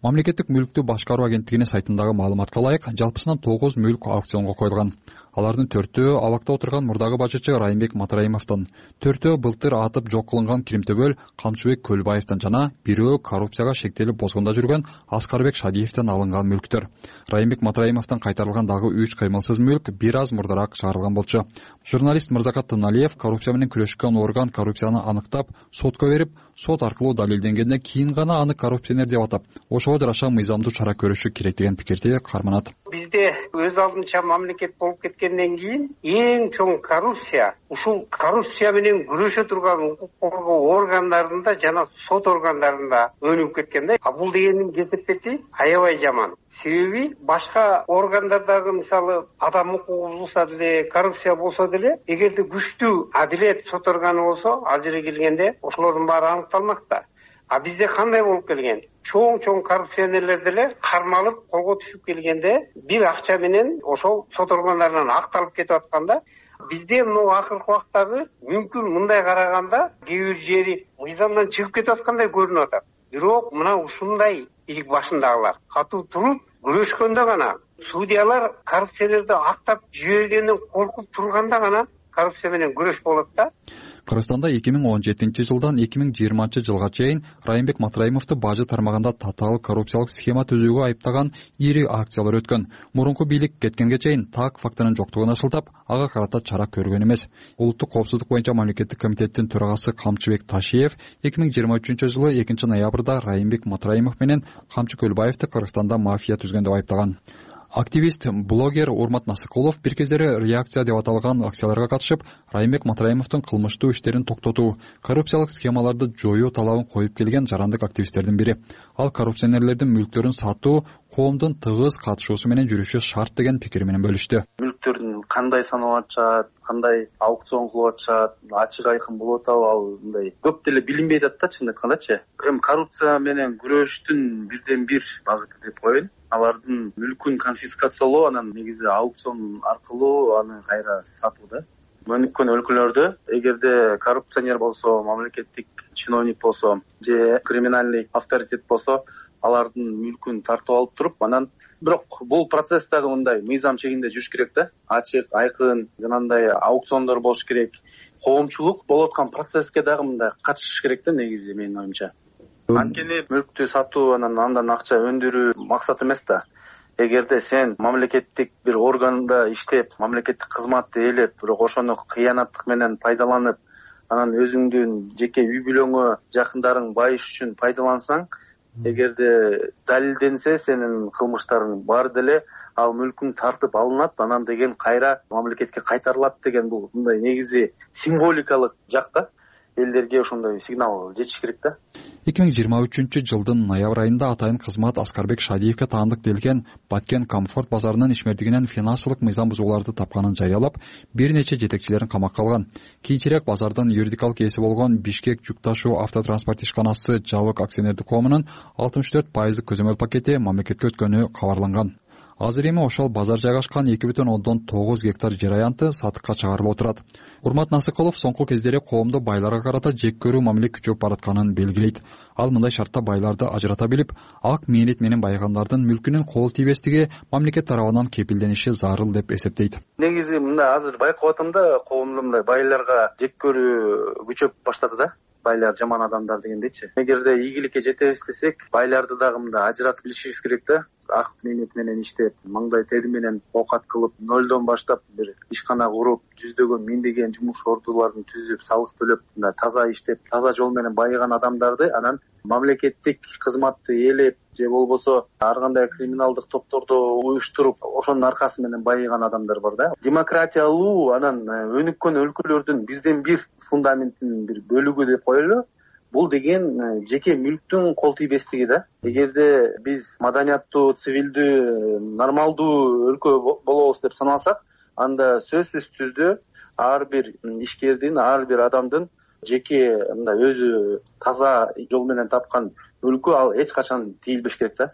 Мамлекеттик мүлктү башкаруу агенттигинин сайтындагы маалыматка ылайык, жалпысынан 9 мүлк аукционго коюлган. Алардын 4-өө абакта отурган мурдагы бажычы Райымбек Матраимовдон, 4-өө былтыр атып жок кылынган Кримтөбөл Камчыбек Көлбаевден жана 1-өө коррупцияга шектелип бозгонда жүргөн Аскарбек Шадиевден алынган мүлктөр. Райымбек Матраимовдон кайтарылган дагы 3 кыймылсыз мүлк бир аз мурдараак чыгарылган болчу. Журналист Мырзакат Тыналиев коррупция менен күрөшкөн орган коррупцияны аныктап, сотко берип, сот аркылуу далилденгенден кийин гана аны коррупционер деп атап, ошого жараша мыйзамдуу чара көрүшү керек деген пикирди карманат. Бизде өз алдынча мамлекет болуп кеткен кеткенден кийин эң чоң коррупция ушул коррупция менен күрөшө турган укук коргоо органдарында жана сот органдарында өнүгүп кеткен да. Бул дегендин кесепети аябай жаман. Себеби башка органдардагы мисалы адам укугу бузулса деле, коррупция болсо деле, эгерде күчтүү адилет сот органы болсо, ал жерге келгенде ошолордун баары аныкталмакта. А бизде кандай болуп келген? Чоң коррупционерлер деле кармалып колго түшүп келгенде бир акча менен ошол сот органдарынан акталып кетип атканда, бизде мына акыркы убактагы мүмкүн мындай караганда кээ бир жери мыйзамдан чыгып кетип аткандай көрүнүп атат. Бирок мына ушундай илик башындагылар катуу туруп күрөшкөндө гана, судьялар коррупцияларды актап жибергенден коркуп турганда гана коррупция менен күрөш болот да. Кыргызстанда 2017-жылдан 2020-жылга чейин Райымбек Матраимовду бажы тармагында татаал коррупциялык схема түзүүгө айыптаган ири акциялар өткөн. Мурунку бийлик кеткенге чейин так фактынын жоктугун ашылтап, ага карата чара көргөн эмес. Улуттук коопсуздук боюнча мамлекеттик комитеттин төрагасы Камчыбек Ташиев 2023-жылы 2-ноябрда Райымбек Матраимов менен Камчы Көлбаевди Кыргызстанда мафия түзгөн деп айыптаган. Активист, блогер Урмат Насыкулов бир кездери реакция деп аталган акцияларга катышып, Райымбек Матраимовдун кылмыштуу иштерин токтотуу, коррупциялык схемаларды жоюу талабын коюп келген жарандык активисттердин бири. Ал коррупционерлердин мүлктөрүн сатуу коомдун тыгыз катышуусу менен жүрүшү шарт деген пикири менен бөлүштү. Мүлктөрдүн кандай саналып атышат, кандай аукцион кылып атышат, ачык айкын болуп атабы, ал мындай көп деле билинбей атат да, чын айткандачы. Эми коррупция менен күрөштүн бирден бир багыты деп коеюн. Алардын мүлкүн конфискациялоо, анан негизи аукцион аркылуу аны кайра сатуу да. Өнүккөн өлкөлөрдө эгерде коррупционер болсо, мамлекеттик чиновник болсо же криминалдык авторитет болсо, алардын мүлкүн тартып алып туруп, анан бирок бул процесс дагы мындай мыйзам чегинде жүрүш керек да. Ачык, айкын, жанагындай аукциондор болуш керек. Коомчулук болуп аткан процесске дагы мындай катышыш керек да, негизи менин оюмча. Анткени мүлктү сатуу, андан акча өндүрүү максат эмес да. Эгерде сен мамлекеттик бир органда иштеп, мамлекеттик кызматты ээлеп, бирок ошону кыянаттык менен пайдаланып, анан өзүңдүн жеке үй бүлөңө, жакындарың байыш үчүн пайдалансаң, эгерде далилденсе сенин кылмыштарың баары деле ал мүлкүң тартып алынат, анан деген кайра мамлекетке кайтарылат деген бул мындай негизи символикалык жакта. Элдерге ошондой сигнал жетиш керек да. 2023-жылдын ноябрь айында атайын кызмат Аскарбек Шадиевке таандык делген Баткен Комфорт базарынын ишмердигинен финансылык мыйзам бузууларды тапканын жарыялап, бир нече жетекчилерин камакка алган. Кийинчерээк базардын юридикалык ээси болгон Бишкек жүк ташуу автотранспорт ишканасы Жабык акционердик коомунун 64% көзөмөл пакети мамлекетке өткөнү кабарланган. Азыр эми ошол базар жайгашкан 2,9 гектар жер аянты сатыкка чыгарылып отурат. Урмат Насыкулов соңку кездери коомду байларга карата жек көрүү мамиле күчөп баратканын белгилейт. Ал мындай шартта байларды ажырата билип, ак мээнет менен байгандардын мүлкүнүн кол тийбестиги мамлекет тарабынан кепилдениши зарыл деп эсептейт. Негизи мындай азыр байкап атам да, коомдо мындай байларга жек көрүү күчөп баштады да. Байлар жаман адамдар дегендейчи. Эгерде ийгиликке жетебиз десек, байларды дагы мындай ажыратып билишибиз керек да. Ак мээнет менен иштеп, маңдай тери менен оокат кылып, нөлдөн баштап бир ишкана куруп, жүздөгөн, миңдеген жумуш ордуларын түзүп, салык төлөп, мындай таза иштеп, таза жол менен байыган адамдарды анан мамлекеттик кызматты ээлеп же болбосо ар кандай криминалдык топторду уюштуруп, ошонун аркасы менен байыган адамдар бар да. Демократиялуу, анан өнүккөн өлкөлөрдүн бирден бир фундаментинин бир бөлүгү деп коелу. Бул деген жеке мүлктүн кол тийбестиги да. Эгерде биз маданияттуу, цивилдүү, нормалдуу өлкө болобуз деп санасак, анда сөзсүз түрдө ар бир ишкердин, ар бир адамдын жеке мындай өзү таза жол менен тапкан мүлкү ал эч качан тийилбеш керек да.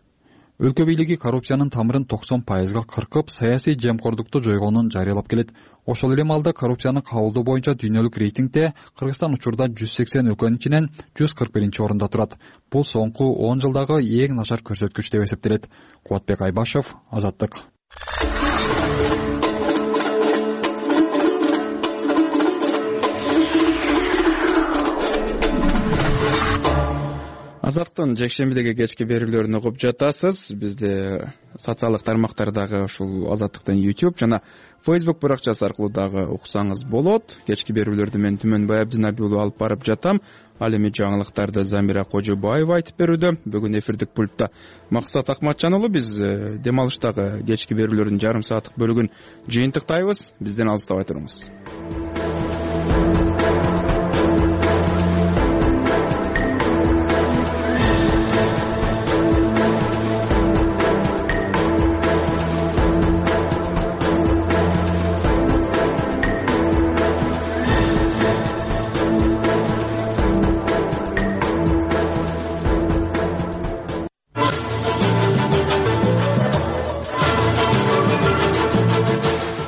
Өлкө бийлиги коррупциянын тамырын 90%га кыркып, саясий жемкордукту жойгонун жарыялап келет. Ошол эле маалда коррупцияны кабылдоо боюнча дүйнөлүк рейтингде Кыргызстан учурда 180 өлкөнүн ичинен 141-орунда турат. Бул соңку 10 жылдагы эң начар көрсөткүч деп эсептелет. Кубатбек Айбашев, Азаттык. Азаттын жекшембидеги кечки берүүлөрүн угуп жатасыз. Бизде социалдык тармактардагы ушул Азаттыктын YouTube жана Facebook баракчасы аркылуу дагы уксаңыз болот. Кечки берүүлөрдү мен Түмөнбай Абдинаби уулу алып барып жатам. Ал эми жаңылыктарды Замира Кожобаева айтып берүүдө. Бүгүн эфирдик пультта Максат Акматжан уулу. Биз дем алыштагы кечки берүүлөрдүн жарым сааттык бөлүгүн жыйынтыктайбыз. Бизден алыстабай туруңуз.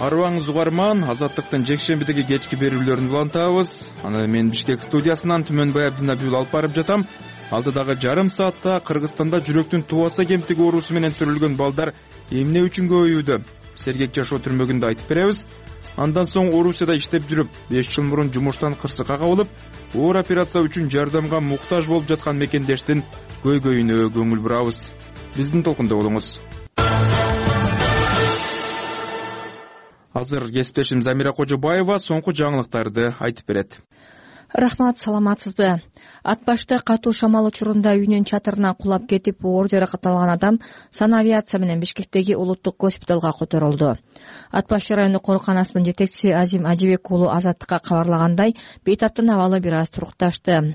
Арыбаңыз угарман, Азаттыктын жекшембидеги кечки берүүлөрүн улантабыз. Аны мен Бишкек студиясынан Түмөнбай Абдинаби уулу алып барып жатам. Алдыдагы жарым саатта Кыргызстанда жүрөктүн тубаса кемтиги оорусу менен төрөлгөн балдар эмне үчүн көбөйүүдө? Сергек жашоо түрмөгүндө айтып беребиз. Андан соң Орусияда иштеп жүрүп, 5 жыл мурун жумуштан кырсыкка кабылып, оор операция үчүн жардамга муктаж болуп жаткан мекендештин көйгөйүнө көңүл бурабыз. Биздин толкунда болуңуз. Азыр кесиптешим Замира Кожобаева соңку жаңылыктарды айтып берет. Рахмат, саламатсызбы? Ат башта катуу шамал учурунда үйүнүн чатырына кулап кетип, оор жаракат алган адам санавиация менен Бишкектеги улуттук госпиталга которулду. Ат баш райондук ооруканасынын жетекчиси Азим Ажибек уулу Азаттыкка кабарлагандай, бейтаптын абалы бир аз турукташты.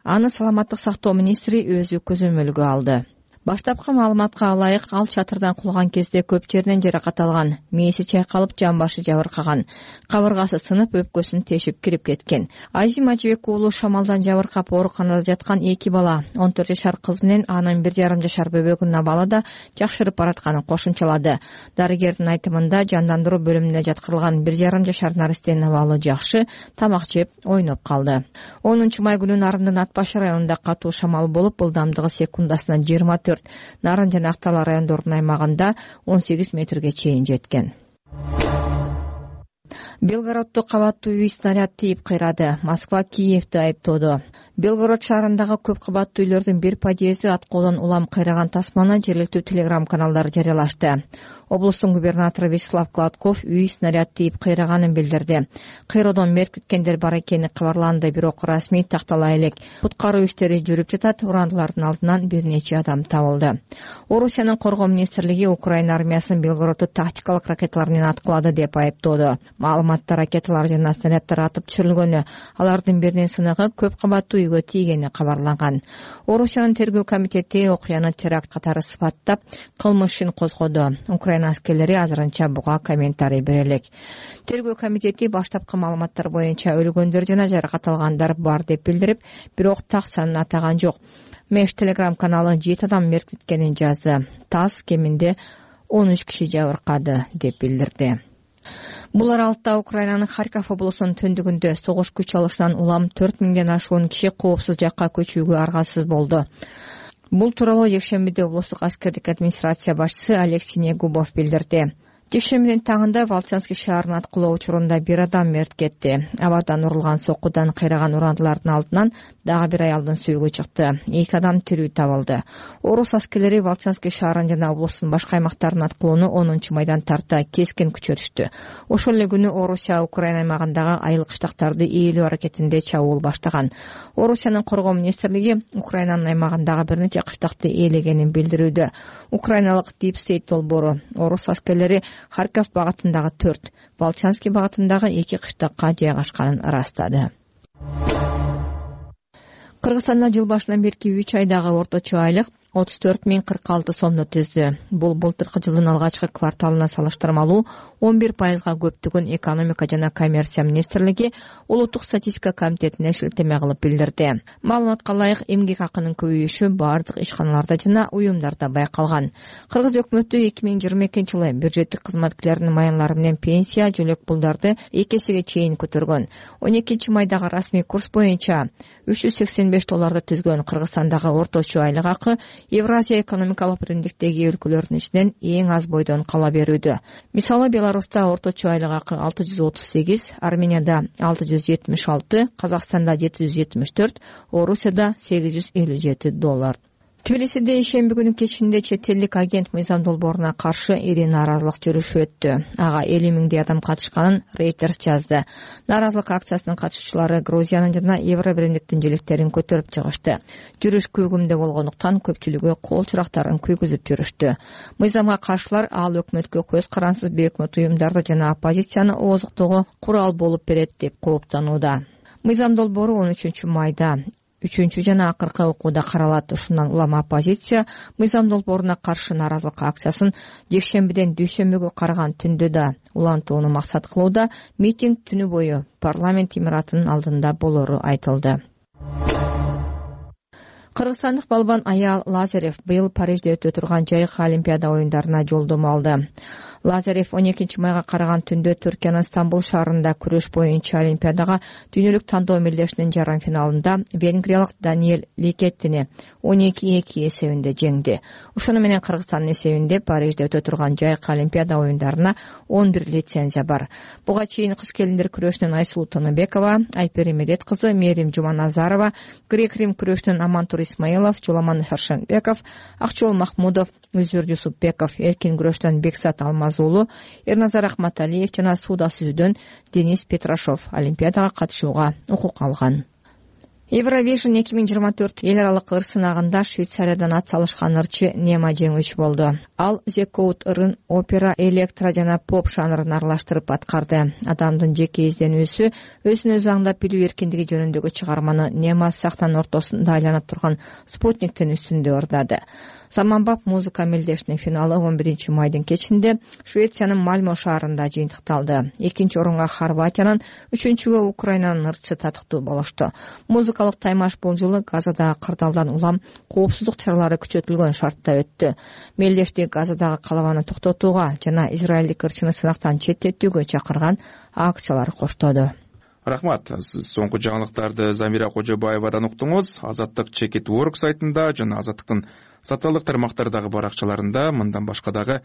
Аны саламаттык сактоо министри өзү көзөмөлгө алды. Баштапкы маалыматка ылайык, ал чатырдан кулган кезде көп жеринен жаракат алган, мээси чайкалып, жан башы жабыркаган, кабыргасы сынып, өпкөсүн тешип кирип кеткен. Азим Ажибек уулу шамалдан жабыркап ооруканада жаткан 2 бала, 14 жашар кыз менен анын 1,5 жашар бөбөгүнүн абалы да жакшырып баратканын кошумчалады. Дарыгердин айтымында, жандандыруу бөлүмүнө жаткырылган 1,5 жашар наристенин абалы жакшы, тамак жеп, ойноп калды. 10 май күнү Нарындын Ат баш районунда катуу шамал болуп, ылдамдыгы секундасына 24, Нарын жана Актала райондорунун аймагында 18 метрге чейин жеткен. Белгороддо кабаттуу үй снаряд тийип кыйрады. Москва Киевди айыптоодо. Белгород шаарындагы көп кабаттуу үйлөрдүн бир подъезди аткоодон улам кыйраган тасманы жергиликтүү телеграм каналдары жарыялашты. Облустун губернатору Вячеслав Гладков үй снаряд тийип кыйраганын билдирди. Кыйроодон мерт кеткендер бар экени кабарланды, бирок расмий тактала элек. Куткаруу иштери жүрүп жатат, урандылардын алдынан бир нече адам табылды. Орусиянын коргоо министрлиги Украина армиясынын Белгородду тактикалык ракеталар менен аткылады деп айыптоодо. Маалыматта ракеталар жана снаряддар атып түшүрүлгөнү, алардын биринин сыныгы көп кабаттуу үйгө тийгени кабарланган. Орусиянын тергөө комитети окуяны теракт катары сыпаттап, кылмыш ишин козгоду. Украина аскерлери азырынча буга комментарий бере элек. Тергөө комитети баштапкы маалыматтар боюнча өлгөндөр жана жаракат алгандар бар деп билдирип, бирок так санын атаган жок. Меш телеграм каналы 7 адам мерт кеткенин жазды. ТАСС кеминде 13 киши жабыркады деп билдирди. Бул аралыкта Украинанын Харьков облусунун түндүгүндө согуш күч алышынан улам 4000ден ашуун киши коопсуз жакка көчүүгө аргасыз болду. Бул тууралуу жекшембиде облустук аскердик администрация башчысы Алексей Негубов билдирди. Жекшембидин таңында Волчанский шаарынын аткылоо учурунда бир адам мерт кетти. Абардан урулган соккудан кыйраган урандылардын алдынан дагы бир аялдын сүйүгү чыкты. 2 адам тирүү табылды. Орус аскерлери Волчанский шаарынын жана облустун башка аймактарынын аткылоону 10 майдан тарта кескин күчөтүштү. Ошол эле күнү Орусия Украина аймагындагы айыл кыштактарды ээлөө аракетинде чабуул баштаган. Орусиянын коргоо министрлиги Украинанын аймагындагы бир нече кыштакты ээлегенин билдирүүдө. Украиналык Deep State долбоору Орус аскерлери Харьков багытындагы 4, Волчанский багытындагы 2 кыштакка жайгашканын ырастады. Кыргызстанда жыл башынан берки 3 айдагы орточо айлык 34.046 сомду түздү. Бул былтыркы жылдын алгачкы кварталына салыштырмалуу 11%га көптүгүн экономика жана коммерция министрлиги улуттук статистика комитетине шилтеме кылып билдирди. Маалыматка ылайык эмгек акынын көбөйүшү бардык ишканаларда жана уюмдарда байкалган. Кыргыз өкмөтү 2022-жылы бюджеттик кызматкерлердин маянлары менен пенсия, жөлөк пулдарды 2 эсеге чейин көтөргөн. 12 майдагы расмий курс боюнча $385 түзгөн Кыргызстандагы орточо айлык акы Евразия экономикалык биримдиктеги өлкөлөрдүн ичинен эң аз бойдон кала берүүдө. Мисалы Беларуста орточо айлык акы 638, Арменияда 676, Казакстанда 774, Орусияда $857. Тбилисиде ишемби күнү кечинде чет элдик агент мыйзам долбооруна каршы ири нааразылык жүрүшү өттү. Ага 50 миңдей адам катышканын Reuters жазды. Нааразылык акциясынын катышуучулары Грузиянын жана Евро биримдиктин желектерин көтөрүп чыгышты. Жүрүш көгүмдө болгондуктан көпчүлүгү кол чурактарын күйгүзүп жүрүштү. Мыйзамга каршылар ал өкмөткө көз карансыз бейөкмөт уюмдарды жана оппозицияны ооздуктоого курал болуп берет деп кооптонууда. Мыйзам долбоору 13 майда 3 жана акыркы окууда каралат. Ушундан улам оппозиция мыйзам долбооруна каршы нааразылык акциясын жекшембиден дүйшөмбүгө караган түндө да улантууну максат кылууда. Митинг түнү бою парламент имаратынын алдында болору айтылды. Кыргызстандык балбан Аял Лазарев быйыл Парижде өтө турган жайкы Олимпиада оюндарына жолдомо алды. Лазарев 12 майга караган түндө Түркиянын Стамбул шаарында күрөш боюнча Олимпиадага дүйнөлүк тандоо мелдешинин жарым финалында венгриялык Даниэль Ликеттини 12-2 эсебинде жеңди. Ошону менен Кыргызстандын эсебинде Парижде өтө турган жайкы Олимпиада оюндарына 11 лицензия бар. Буга чейин кыз келиндер күрөшүнөн Айсулуу Тыныбекова, Айпери Медет кызы Мерим Жуманазарова, грек-рим күрөшүнөн Амантур Исмаилов, Жуламан Харшенбеков, Акчол Махмудов, Үзүр Жусупбеков, эркин күрөштөн Бексат Алмазуулу, Эрназар Ахматалиев жана сууда сүзүүдөн Денис Петрашов Олимпиадага катышууга укук алган. Евровижн 2024 эл аралык ыр сынагында Швейцариядан ат салышкан ырчы Нема жеңүүчү болду. Ал The Code ырын опера, электро жана поп жанрын аралаштырып аткарды. Адамдын жеке изденүүсү, өзүн өзү аңдап билүү эркиндиги жөнүндөгү чыгарманы Нема сахнанын ортосунда айланып турган спутниктин үстүндө ордады. Заманбап музыка мелдешинин финалы 11 майдын кечинде Швециянын Мальмо шаарында жыйынтыкталды. 2-орунга Хорватиянын, 3-гө Украинанын ырчысы татыктуу болушту. Музыкалык таймаш бул жылы Газадагы кырдаалдан улам коопсуздук чаралары күчөтүлгөн шартта өттү. Мелдешти Газадагы калабаны токтотууга жана израилдик ырчыны сынактан четтетүүгө чакырган акциялар коштоду. Рахмат. Сиз соңку жаңылыктарды Замира Кожобаевадан уктуңуз. Азаттык Чекит.org сайтында жана Азаттыктын социалдык тармактардагы баракчаларында мындан башка дагы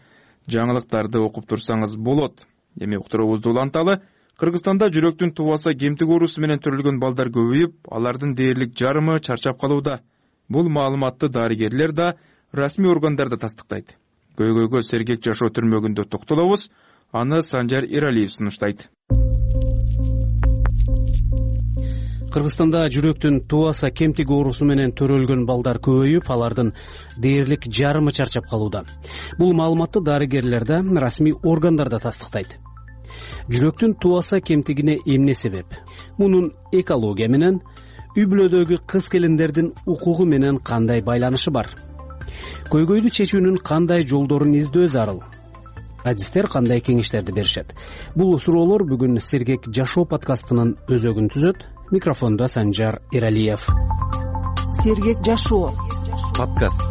жаңылыктарды окуп турсаңыз болот. Эми уктуруубузду уланталы. Кыргызстанда жүрөктүн тубаса кемтик оорусу менен төрөлгөн балдар көбөйүп, алардын дээрлик жарымы чарчап калууда. Бул маалыматты дарыгерлер да, расмий органдар да тастыктайт. Көйгөйгө сергек жашоо түрмөгүндө токтолобуз. Аны Санжар Эралиев сунуштайт. Кыргызстанда жүрөктүн тубаса кемтик оорусу менен төрөлгөн балдар көбөйүп, алардын дээрлик жарымы чарчап калууда. Бул маалыматты дарыгерлер да, расмий органдар да тастыктайт. Жүрөктүн тубаса кемтигине эмне себеп? Мунун экология менен, үй бүлөдөгү кыз келиндердин укугу менен кандай байланышы бар? Көйгөйдү чечүүнүн кандай жолдорун издөө зарыл? Адистер кандай кеңештерди беришет? Бул суроолор бүгүн Сергек жашоо подкастынын өзөгүн түзөт. Микрофондо Санжар Эралиев. Сергек жашоо подкаст.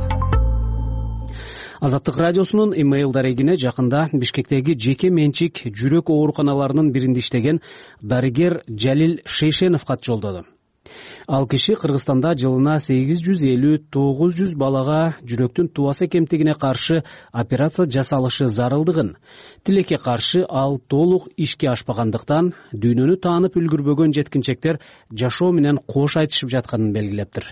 Азаттык радиосунун имейл дарегине жакында Бишкектеги жеке менчик жүрөк ооруканаларынын биринде иштеген дарыгер Жалил Шейшенов кат жолдоду. Ал киши Кыргызстанда жылына 850-900 балага жүрөктүн тубаса кемтигине каршы операция жасалышы зарылдыгын, тилекке каршы ал толук ишке ашпагандыктан дүйнөнү таанып үлгүрбөгөн жеткинчектер жашоо менен кош айтышып жатканын белгилептир.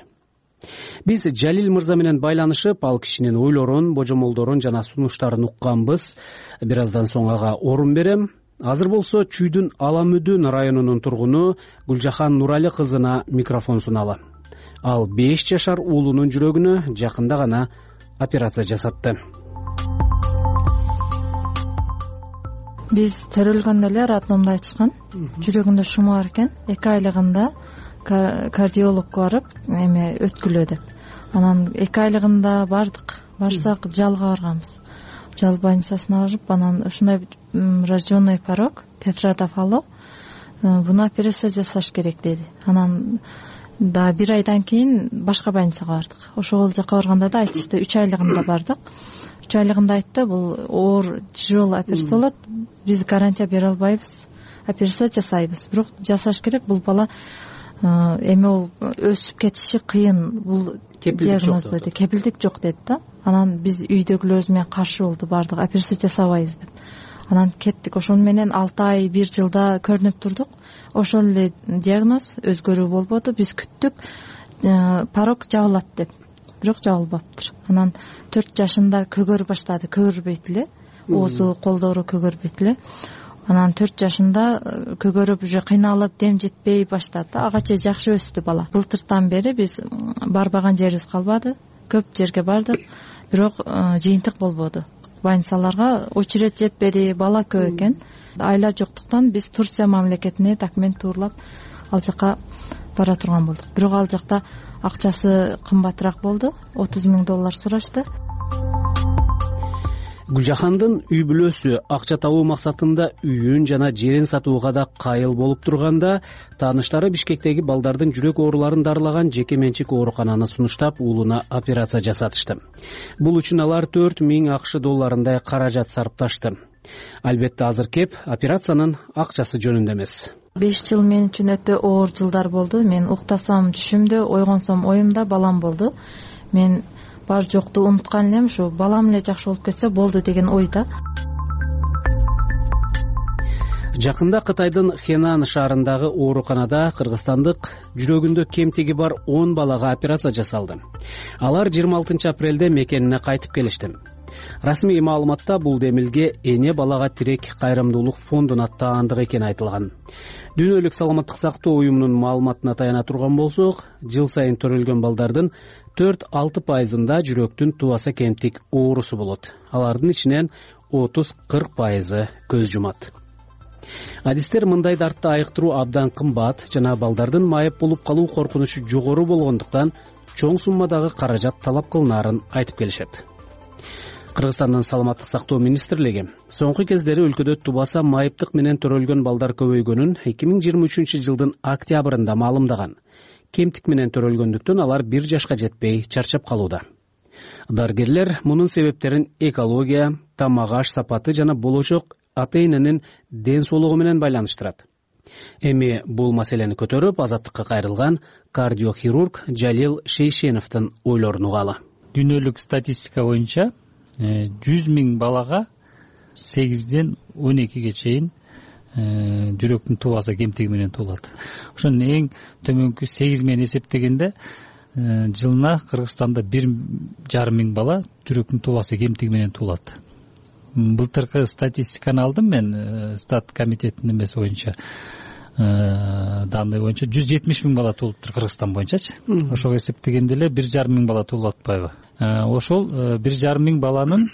Биз Жалил мырза менен байланышып, ал кишинин ойлорун, божомолдорун жана сунуштарын укканбыз. Бир аздан соң ага орун берем. Азыр болсо Чүйдүн Аламүдүн районунун тургуну Гүлжахан Нурали кызына микрофон суналы. Ал 5 жашар уулунун жүрөгүнө жакында гана операция жасатты. Биз төрөлгөндө эле роддомдо айтышкан. Жүрөгүндө шуму бар экен. 2 айлыгында кардиологко барып, эме өткүлөө деп. Анан 2 айлыгында бардык. Барсак жалга барганбыз. Жал больницасына барып, анан ушундай рожденный порог, тетрадофало, буну операция жасаш керек деди. Анан да 1 айдан кийин башка больницага бардык. Ошол жака барганда да айтышты, 3 айлыгында бардык. 3 айлыгында айтты, бул оор тяжелый операция болот. Биз гарантия бере албайбыз. Операция жасайбыз. Бирок жасаш керек. Бул бала эми ол өсүп кетиши кыйын, бул диагноз деди, кепилдик жок деди да. Анан биз үйдөгүлөрүбүз менен каршы болду, баардык операция жасабайбыз деп. Анан кеттик, ошону менен 6 ай 1 жылда көрүнүп турдук. Ошол эле диагноз, өзгөрүү болбоду. Биз күттүк, порог жабылат деп, бирок жабылбаптыр. Анан 4 жашында көгөрүп баштады, көгөрбөйт эле, оозу, колдору көгөрбөйт эле. Анан 4 жашында көгөрүп, уже кыйналып, дем жетпей баштады. Ага чейин жакшы өстү бала. Былтыртан бери биз барбаган жерибиз калбады, көп жерге бардык, бирок жыйынтык болбоду. Больницаларга очередь жетпеди, бала көп экен. Айла жоктуктан биз Турция мамлекетине документ тууралап ал жака бара турган болдук. Бирок ал жакта акчасы кымбатыраак болду, $30,000 сурашты. Гүлжахандын үй бүлөсү акча табуу максатында үйүн жана жерин сатууга да кайыл болуп турганда, тааныштары Бишкектеги балдардын жүрөк ооруларын дарылаган жеке менчик оорукананы сунуштап, уулуна операция жасатышты. Бул үчүн алар $4,000 каражат сарпташты. Албетте азыр кеп операциянын акчасы жөнүндө эмес. 5 жыл мен үчүн өтө оор жылдар болду. Мен уктасам түшүмдө, ойгонсом оюмда балам болду. Мен бар жокту унуткан элем, ушу балам эле жакшы болуп кетсе болду деген ойда. Жакында Кытайдын Хенан шаарындагы ооруканада кыргызстандык жүрөгүндө кемтиги бар 10 балага операция жасалды. Алар 26 апрелде мекенине кайтып келишти. Расмий маалыматта бул демилге Эне балага тирек кайрымдуулук фондун аттаандыгы экени айтылган. Дүйнөлүк саламаттык сактоо уюмунун маалыматына таяна турган болсок, жыл сайын төрөлгөн балдардын 4-6% жүрөктүн тубаса кемтик оорусу болот. Алардын ичинен 30-40% көз жумат. Адистер мындай дартты айыктыруу абдан кымбат жана балдардын майып болуп калуу коркунучу жогору болгондуктан чоң суммадагы каражат талап кылынаарын айтып келишет. Кыргызстандын саламаттык сактоо министрлиги соңку кездери өлкөдө тубаса майыптык менен төрөлгөн балдар көбөйгөнүн 2023 жылдын октябрында маалымдаган. Кемтик менен төрөлгөндүктөн алар 1 жашка жетпей чарчап калууда. Дарыгерлер мунун себептерин экология, тамак аш сапаты жана болочок ата-эненин ден соолугу менен байланыштырат. Эми бул маселени көтөрүп, азаттыкка кайрылган кардиохирург Жалил Шейшеновдун ойлорун угалы. Дүйнөлүк статистика боюнча 100,000 балага 8ден 12ге чейин жүрөктүн тубаса кемтиги менен туулат. Ошонун эң төмөнкү 8 менен эсептегенде жылына Кыргызстанда 1,5 бала жүрөктүн тубасы кемтиги менен туулат. Былтыркы статистиканы алдым мен, стат комитетинин эмеси боюнча, данный боюнча 170,000 бала туулуптур Кыргызстан боюнчачы. Ошого эсептегенде эле 1,5 бала туулуп атпайбы? Ошол 1,5 баланын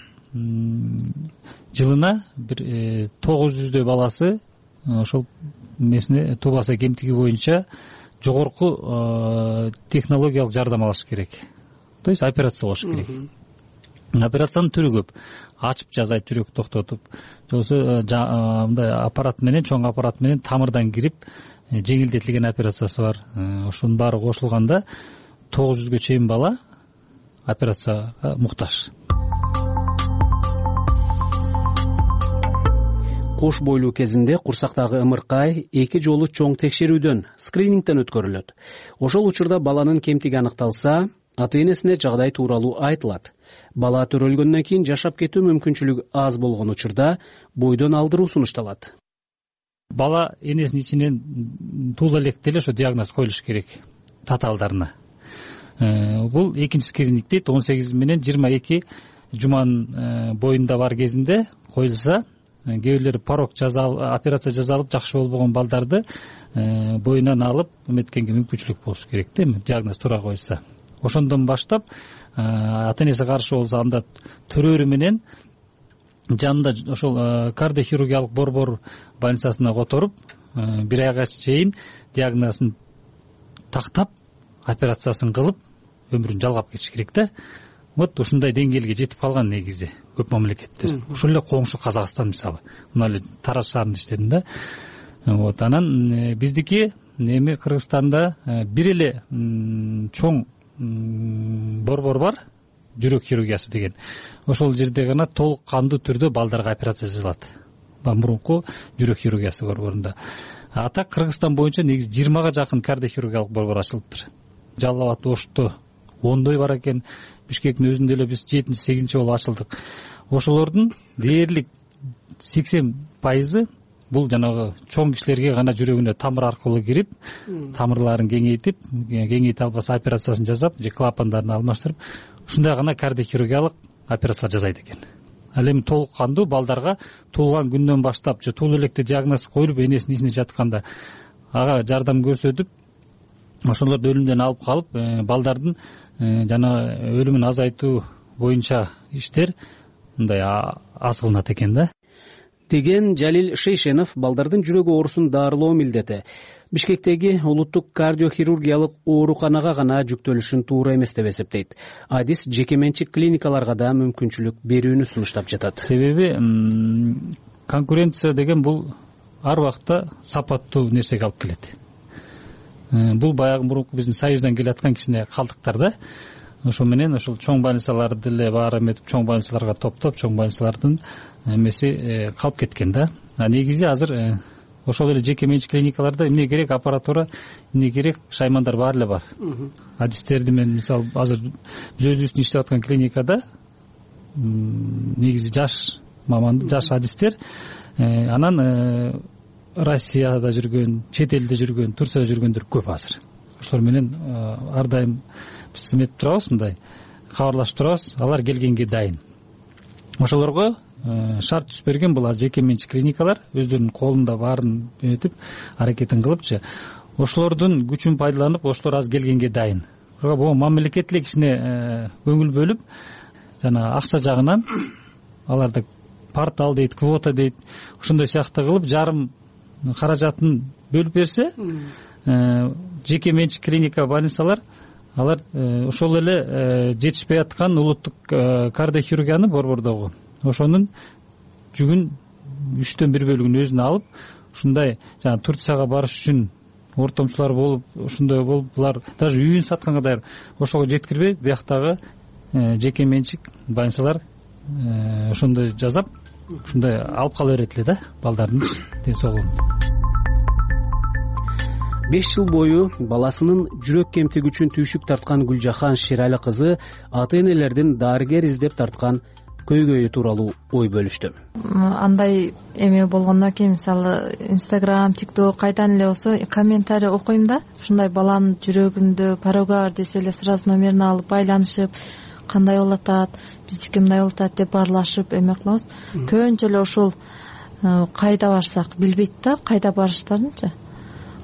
жылына 900 баласы ошол эмесине тубаса кемтиги боюнча жогорку технологиялык жардам алыш керек. То есть операция кылыш керек. Операциянын түрү көп. Ачып жазайт, жүрөк токтотуп, жоксо мындай аппарат менен, чоң аппарат менен тамырдан кирип, жеңилдетилген операциясы бар. Ошонун баары кошулганда 900ге чейин бала операцияга муктаж. Кош бойлуу кезинде курсактагы ымыркай 2 жолу чоң текшерүүдөн, скринингден өткөрүлөт. Ошол учурда баланын кемтиги аныкталса, ата-энесине жагдай тууралуу айтылат. Бала төрөлгөндөн кийин жашап кетүү мүмкүнчүлүгү аз болгон учурда бойдон алдыруу сунушталат. Бала энесинин ичинен туула электе эле ошо диагноз коюлуш керек татаалдарына. Бул экинчи скрининг дейт, 18 менен 22 жуманын боюнда бар кезинде коюлса, кээ бирлери порог операция жасалып жакшы болбогон балдарды боюнан алып эметкенге мүмкүнчүлүк болуш керек да, диагноз туура коюлса. Ошондон баштап ата-энеси каршы болсо, анда төрөрү менен жанында ошол кардиохирургиялык борбор больницасына которуп, 1 айга чейин диагнозун тактап, операциясын кылып, өмүрүн жалгап кетиш керек да. Вот ушундай деңгээлге жетип калган негизи көп мамлекеттер. Ошол эле коңшу Казакстан мисалы. Мына эле Тараз шаарында иштедим да. Вот анан биздики эми Кыргызстанда бир эле чоң борбор бар, жүрөк хирургиясы деген. Ошол жерде гана толук кандуу түрдө балдарга операция жасалат. Мурунку жүрөк хирургиясы борборунда. А так Кыргызстан боюнча негизи 20га жакын кардиохирургиялык борбор ачылыптыр. Жалал абад, Ошто 10дой бар экен. Бишкектин өзүндө эле биз 7-8 болуп ачылдык. Ошолордун дээрлик 80% бул жанагы чоң кишилерге гана жүрөгүнө тамыр аркылуу кирип, тамырларын кеңейте албаса операциясын жасап же клапандарын алмаштырып, ушундай гана кардиохирургиялык операциялар жасайт экен. Ал эми толук кандуу балдарга туулган күндөн баштап же туулуу электе диагноз коюлуп энесинин ичинде жатканда ага жардам көрсөтүп, ошолорду өлүмдөн алып калып, балдардын жана өлүмүн азайтуу боюнча иштер мындай аз кылынат экен да деген Жалил Шейшенов балдардын жүрөк оорусун дарылоо милдети Бишкектеги улуттук кардиохирургиялык ооруканага гана жүктөлүшүн туура эмес деп эсептейт. Адис жеке менчик клиникаларга да мүмкүнчүлүк берүүнү сунуштап жатат. Себеби конкуренция деген бул ар убакта сапаттуу нерсеге алып келет. Бул баягы мурунку биздин союздан келаткан кичине калдыктар да. Ошо менен ошол чоң больницаларды деле баары эметип, чоң больницаларга топтоп, чоң больницалардын эмеси калып кеткен да. Негизи азыр ошол эле жеке менчик клиникаларда эмне керек, аппаратура, эмне керек, шаймандар баары эле бар. Адистерди мен мисалы азыр биз өзүбүздүн иштеп аткан клиникада негизи жаш маман, жаш адистер, анан Россияда жүргөн, чет элде жүргөн, Турцияда жүргөндөр көп азыр. Ошолор менен ар дайым биз эметип турабыз, мындай кабарлашып турабыз, алар келгенге дайын. Ошолорго шарт түзүп берген бул жеке менчик клиникалар өздөрүнүн колунда баарын этип аракетин кылыпчы. Ошолордун күчүн пайдаланып, ошолор азыр келгенге дайын. Бул мамлекет эле кичине көңүл бөлүп, жана акча жагынан аларды портал дейт, квота дейт, ошондой сыяктуу кылып жарым каражатын бөлүп берсе, жеке менчик клиника, больницалар алар ошол эле жетишпей аткан улуттук кардиохирургияны борбордогу ошонун жүгүн 1/3 бөлүгүн өзүнө алып, ушундай жана Турцияга барыш үчүн ортомчулар болуп, ошондой болуп, булар даже үйүн сатканга даяр, ошого жеткирбей, бияктагы жеке менчик больницалар ошондой жасап, ушундай алып кала берет эле да балдардын ден соолугун. 5 жыл бою баласынын жүрөк кемтиги үчүн түйшүк тарткан Гүлжахан Шерали кызы ата-энелердин дарыгер издеп тарткан көйгөйү тууралуу ой бөлүштү. Андай эме болгондон кийин мисалы Instagram, TikTok кайдан эле болсо комментарий окуйм да, ушундай баланын жүрөгүндө порого бар десе эле сразу номерин алып байланышып, кандай болуп атат, биздики мындай болуп атат деп баарлашып эме кылабыз. Көбүнчө эле ушул кайда барсак билбейт да, кайда барыштарынчы.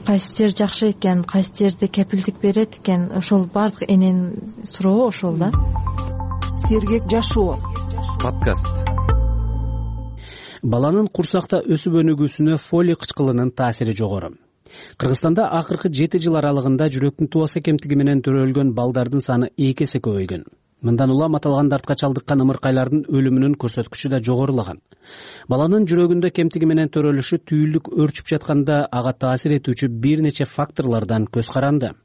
Кайсы жер жакшы экен, кайсы жерде кепилдик берет экен, ошол бардык эненин сурообу ошол да. Сергек жашоо подкаст. Баланын курсакта өсүп өнүгүүсүнө фолий кычкылынын таасири жогору. Кыргызстанда акыркы 7 жыл аралыгында жүрөктүн туаса кемтиги менен төрөлгөн балдардын саны 2 эсе көбөйгөн. Мындан улам аталган дартка чалдыккан ымыркайлардын өлүмүнүн көрсөткүчү да жогорулаган. Баланын жүрөгүндө кемтиги менен төрөлүшү түйүлдүк өрчүп жатканда ага таасир этүүчү бир нече факторлордон көз каранды.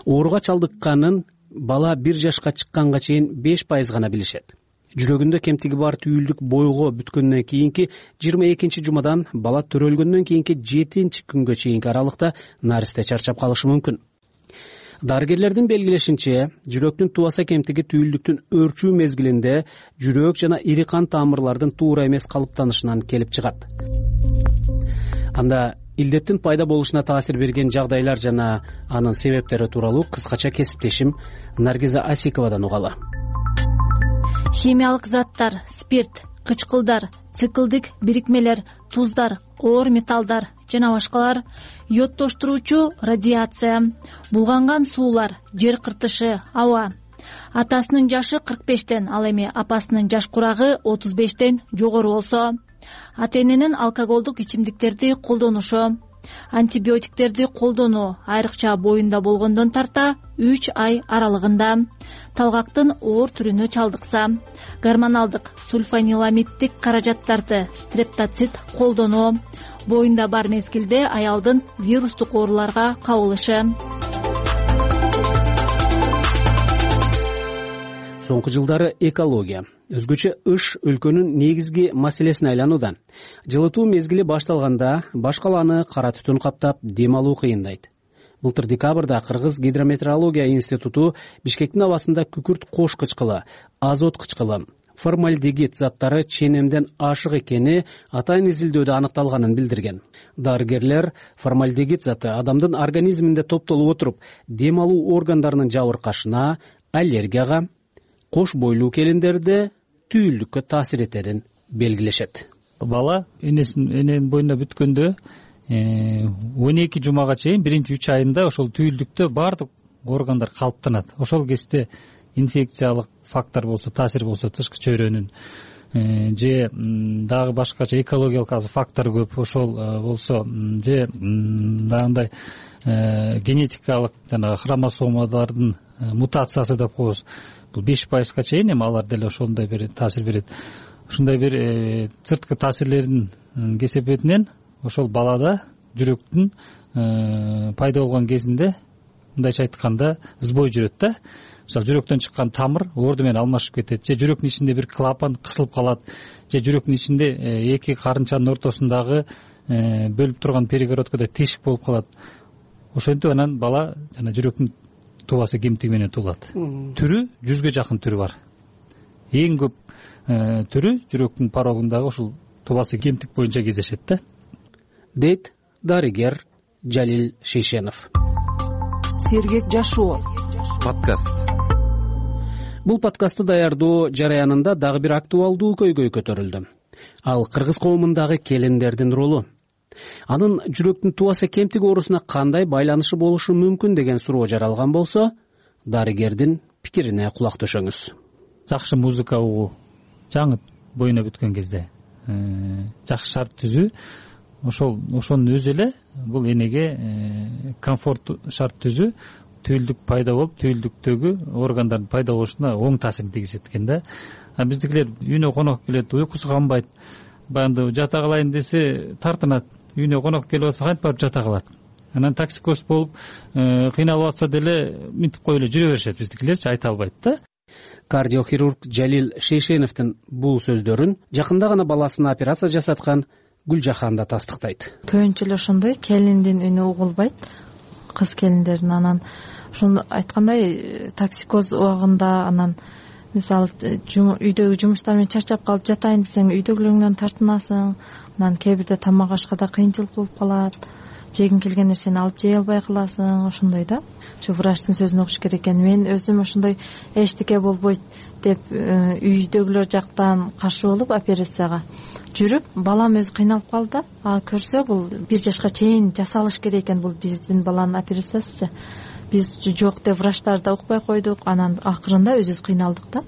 Ооруга чалдыкканын бала 1 жашка чыкканга чейин 5% гана билишет. Жүрөгүндө кемтиги бар түйүлдүк бойго бүткөндөн кийинки 22 жумадан бала төрөлгөндөн кийинки 7 күнгө чейинки аралыкта наристе чарчап калышы мүмкүн. Дарыгерлердин белгилешинче, жүрөктүн туаса кемтиги түйүлдүктүн өрчүү мезгилинде жүрөк жана ири кан тамырлардын туура эмес калыптанышынан келип чыгат. Анда илдеттин пайда болушуна таасир берген жагдайлар жана анын себептери тууралуу кыскача кесиптешим Наргиза Асиковадан угалы. Химиялык заттар, спирт, кычкылдар, циклдик бирикмелер, туздар, оор металлдар жана башкалар, йодтоштуруучу радиация, булганган суулар, жер кыртышы, аба. Атасынын жашы 45тен, ал эми апасынын жаш курагы 35тен жогору болсо, ата-эненин алкоголдук ичимдиктерди колдонушу, антибиотиктерди колдонуу айрыкча боюнда болгондон тарта 3 ай аралыгында, талгактын оор түрүнө чалдыкса, гормоналдык сульфаниламиддик каражаттарды, стрептоцит колдонуу, боюнда бар мезгилде аялдын вирустук ооруларга кабылышы. Соңку жылдары экология, өзгөчө ыш өлкөнүн негизги маселесине айланууда. Жылытуу мезгили башталганда баш калааны кара түтүн каптап, дем алуу кыйындайт. Былтыр декабрда Кыргыз гидрометеорология институту Бишкектин абасында күкүрт кош кычкылы, азот кычкылы, формальдегид заттары ченемден ашык экени атайын изилдөөдө аныкталганын билдирген. Дарыгерлер формальдегид заты адамдын организминде топтолуп отуруп, дем алуу органдарынын жабыркашына, аллергияга, кош бойлуу келиндерде түйүлдүккө таасир этерин белгилешет. Бала эненин боюнда бүткөндө 12 жумага чейин биринчи 3 айында ошол түйүлдүктө баардык органдар калыптанат. Ошол кезде инфекциялык фактор болсо, таасир болсо, тышкы чөйрөнүн же дагы башкача экологиялык фактор көп, ошол болсо же дагындай генетикалык жанагы хромосомалардын мутациясы деп коебуз. Бул 5%га чейин эми алар деле ошондой бир таасир берет. Ушундай бир сырткы таасирлердин кесепетинен ошол балада жүрөктүн пайда болгон кезинде, мындайча айтканда, сбой жүрөт да. Мисалы, жүрөктөн чыккан тамыр орду менен алмашып кетет, же жүрөктүн ичинде бир клапан кысылып калат, же жүрөктүн ичинде эки карынчанын ортосундагы бөлүп турган перегородкада тешик болуп калат. Ошентип анан бала жана жүрөктүн тубасы кемтиги менен туулат. Түрү 100ге жакын түрү бар. Эң көп түрү жүрөктүн порогундагы ушул тубасы кемтик боюнча кездешет да, дейт дарыгер Жалил Шейшенов. Сергек жашоо подкаст. Бул подкастты даярдоо жараянында дагы бир актуалдуу көйгөй көтөрүлдү. Ал кыргыз коомундагы келиндердин ролу. Анын жүрөктүн тубасы кемтиги оорусуна кандай байланышы болушу мүмкүн деген суроо жаралган болсо, дарыгердин пикирине кулак төшөңүз. Жакшы музыка угуу, жаңы боюна бүткөн кезде жакшы шарт түзүү, ошонун өзү эле бул энеге комфорт шарт түзүү, түйүлдүк пайда болуп, түйүлдүктөгү органдардын пайда болушуна оң таасирин тийгизет экен да. Биздикилер үйүнө конок келет, уйкусу канбайт, баягы жата калайын десе тартынат. Үйүнө конок келип атса кантип барып жата калат. Анан токсикоз болуп кыйналып атса деле минтип коюп эле жүрө беришет, биздикилерчи айта албайт да. Кардиохирург Жалил Шейшеновдун бул сөздөрүн жакында гана баласына операция жасаткан Гүлжахан да тастыктайт. Көбүнчө эле ошондой келиндин үнү угулбайт, кыз келиндердин. Анан ошону айткандай токсикоз убагында, анан мисалы үйдөгү жумуштар менен чарчап калып жатайын десең үйдөгүлөрүңдөн тартынасың. Анан кээ бирде тамак ашкада кыйынчылык болуп калат, жегиң келген нерсени алып жей албай каласың, ошондой да. Ошо врачтын сөзүн угуш керек экен. Мен өзүм ошондой эчтеке болбойт деп үйдөгүлөр жактан каршы болуп операцияга жүрүп, балам өзү кыйналып калды. Көрсө бул 1 жашка чейин жасалыш керек экен, бул биздин баланын операциясы. Биз жок деп врачтар да укпай койдук. Анан акырында өзүбүз кыйналдык да.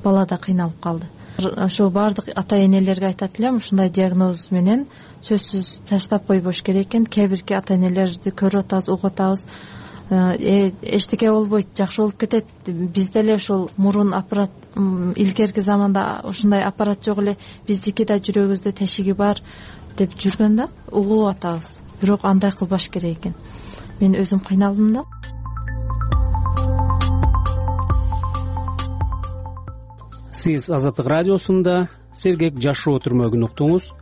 Бала да кыйналып калды. Ошо баардык ата энелерге айтат элем, ушундай диагноз менен сөзсүз таштап койбош керек экен. Кээ бирки ата энелерди көрүп атабыз, угуп атабыз. Эчтеке болбойт, жакшы болуп кетет. Бизде эле ошол мурун аппарат, илгерки заманда ушундай аппарат жок эле, биздики да жүрөгүбүздө тешиги бар деп жүргөн да, угуп атабыз. Бирок андай кылбаш керек экен. Мен өзүм кыйналдым да. Сиз Азаттык радиосунда Сергек жашоо түрмөгүн уктуңуз.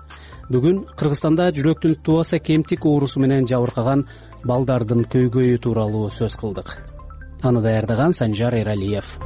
Бүгүн Кыргызстанда жүрөктүн тубасы кемтик оорусу менен жабыркаган балдардын көйгөйү тууралуу сөз кылдык. Аны даярдаган Санжар Эралиев.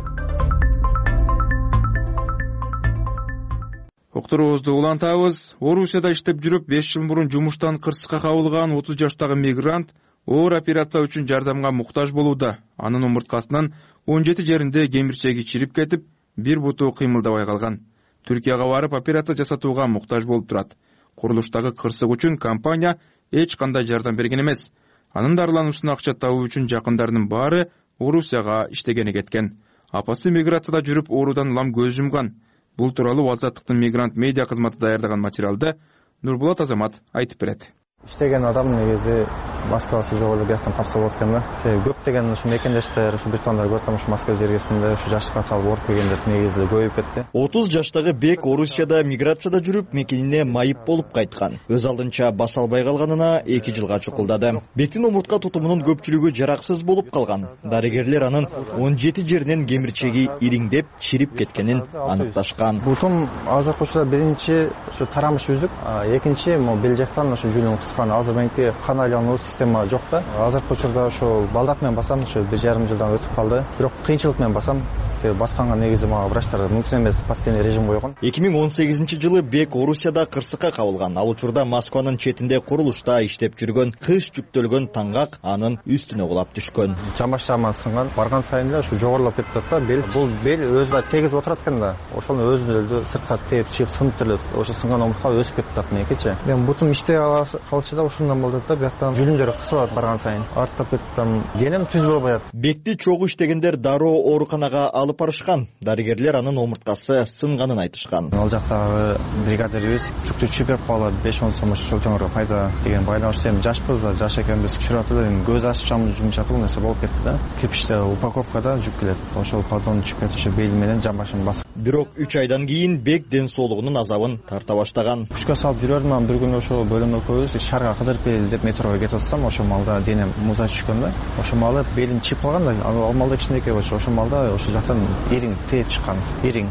Уктуруубузду улантабыз. Орусияда иштеп жүрүп 5 жыл мурун жумуштан кырсыкка кабылган 30 жаштагы мигрант оор операция үчүн жардамга муктаж болууда. Анын омурткасынын 17 жеринде кемирчеги чирип кетип, бир буту кыймылдабай калган. Түркияга барып операция жасатууга муктаж болуп турат. Курулуштагы кырсык үчүн компания эч кандай жардам берген эмес. Анын дарылануусуна акча табуу үчүн жакындарынын баары Орусияга иштегени кеткен. Апасы миграцияда жүрүп оорудан улам көз жумган. Бул тууралуу Азаттыктын мигрант медиа кызматы даярдаган материалды Нурбулат Азамат айтып берет. иштеген адам негизи Москвасы жок эле бияктан тапса болот экен да. Көптөгөн ушу мекендештер, ушу британдар көрүп атам, ушу Москва жергесинде ушу жашыкка салып ооруп келгендер негизи көбөйүп кетти. 30 жаштагы Бек Орусияда миграцияда жүрүп, мекенине майып болуп кайткан. Өз алдынча баса албай калганына 2 жылга чукулдады. Бектин омуртка тутумунун көпчүлүгү жараксыз болуп калган. Дарыгерлер анын 17 жеринен кемирчеги ириңдеп, чирип кеткенин аныкташкан. Бутум азыркы учурда биринчи ушу тарамыш үзүк, экинчи бел жактан ушу жүнүн кыскан. Азыр менки кан айлануу система жок да. Азыркы учурда ошол балдак менен басам, ушу 1,5 жылдан өтүп калды. Бирок кыйынчылык менен басам. Басканга негизи мага врачтар мүмкүн эмес, постоянный режим койгон. 2018 жылы Бек Орусияда кырсыкка кабылган. Ал учурда Москванын четинде курулушта иштеп жүргөн, кыш жүктөлгөн таңгак анын үстүнө кулап түшкөн. Чамаш-чаман сынган, барган сайын эле ушу жогорулап кетип атат да. Бул бел өзү тегиз отурат экен да. Ошону өзү сыртка тээп чыгып сынып эле ошо сынган омуртка өсүп кетип атат меникичи. Мен бутум иштей калчу да ушундан болду да. Бияктан жүнүмдөр кысылат барган сайын. Артып кетип, денем түз болбой атат. Бекти чогуу иштегендер дароо ооруканага алып барышкан. Дарыгерлер анын омурткасы сынганын айтышкан. Ал жактагы бригадирибиз чүктү берип калып 5-10 сом чолтоңорго пайда деген байланыш эми жашпыз да, жаш экенбиз, түшүрүп атып эле көз ачып жумшатып нерсе болуп кетти да. Кирпичте упаковкада жүк келет. Ошол подон түшүп кетиши бели менен жан башын басып. Бирок 3 айдан кийин Бек ден соолугунун азабын тарта баштаган. Күчкө салып жүрөрмүн, бир күнү ошол бөлүмдө көбүз шаарга кыдырып кел деп метрого кетип атсам, ошол маалда денем муза түшкөн да. Ошол маалда белим чип калган да. Ал маалда кичинекей болчу. Ошол маалда ошол жактан ириң тээп чыккан. Ириң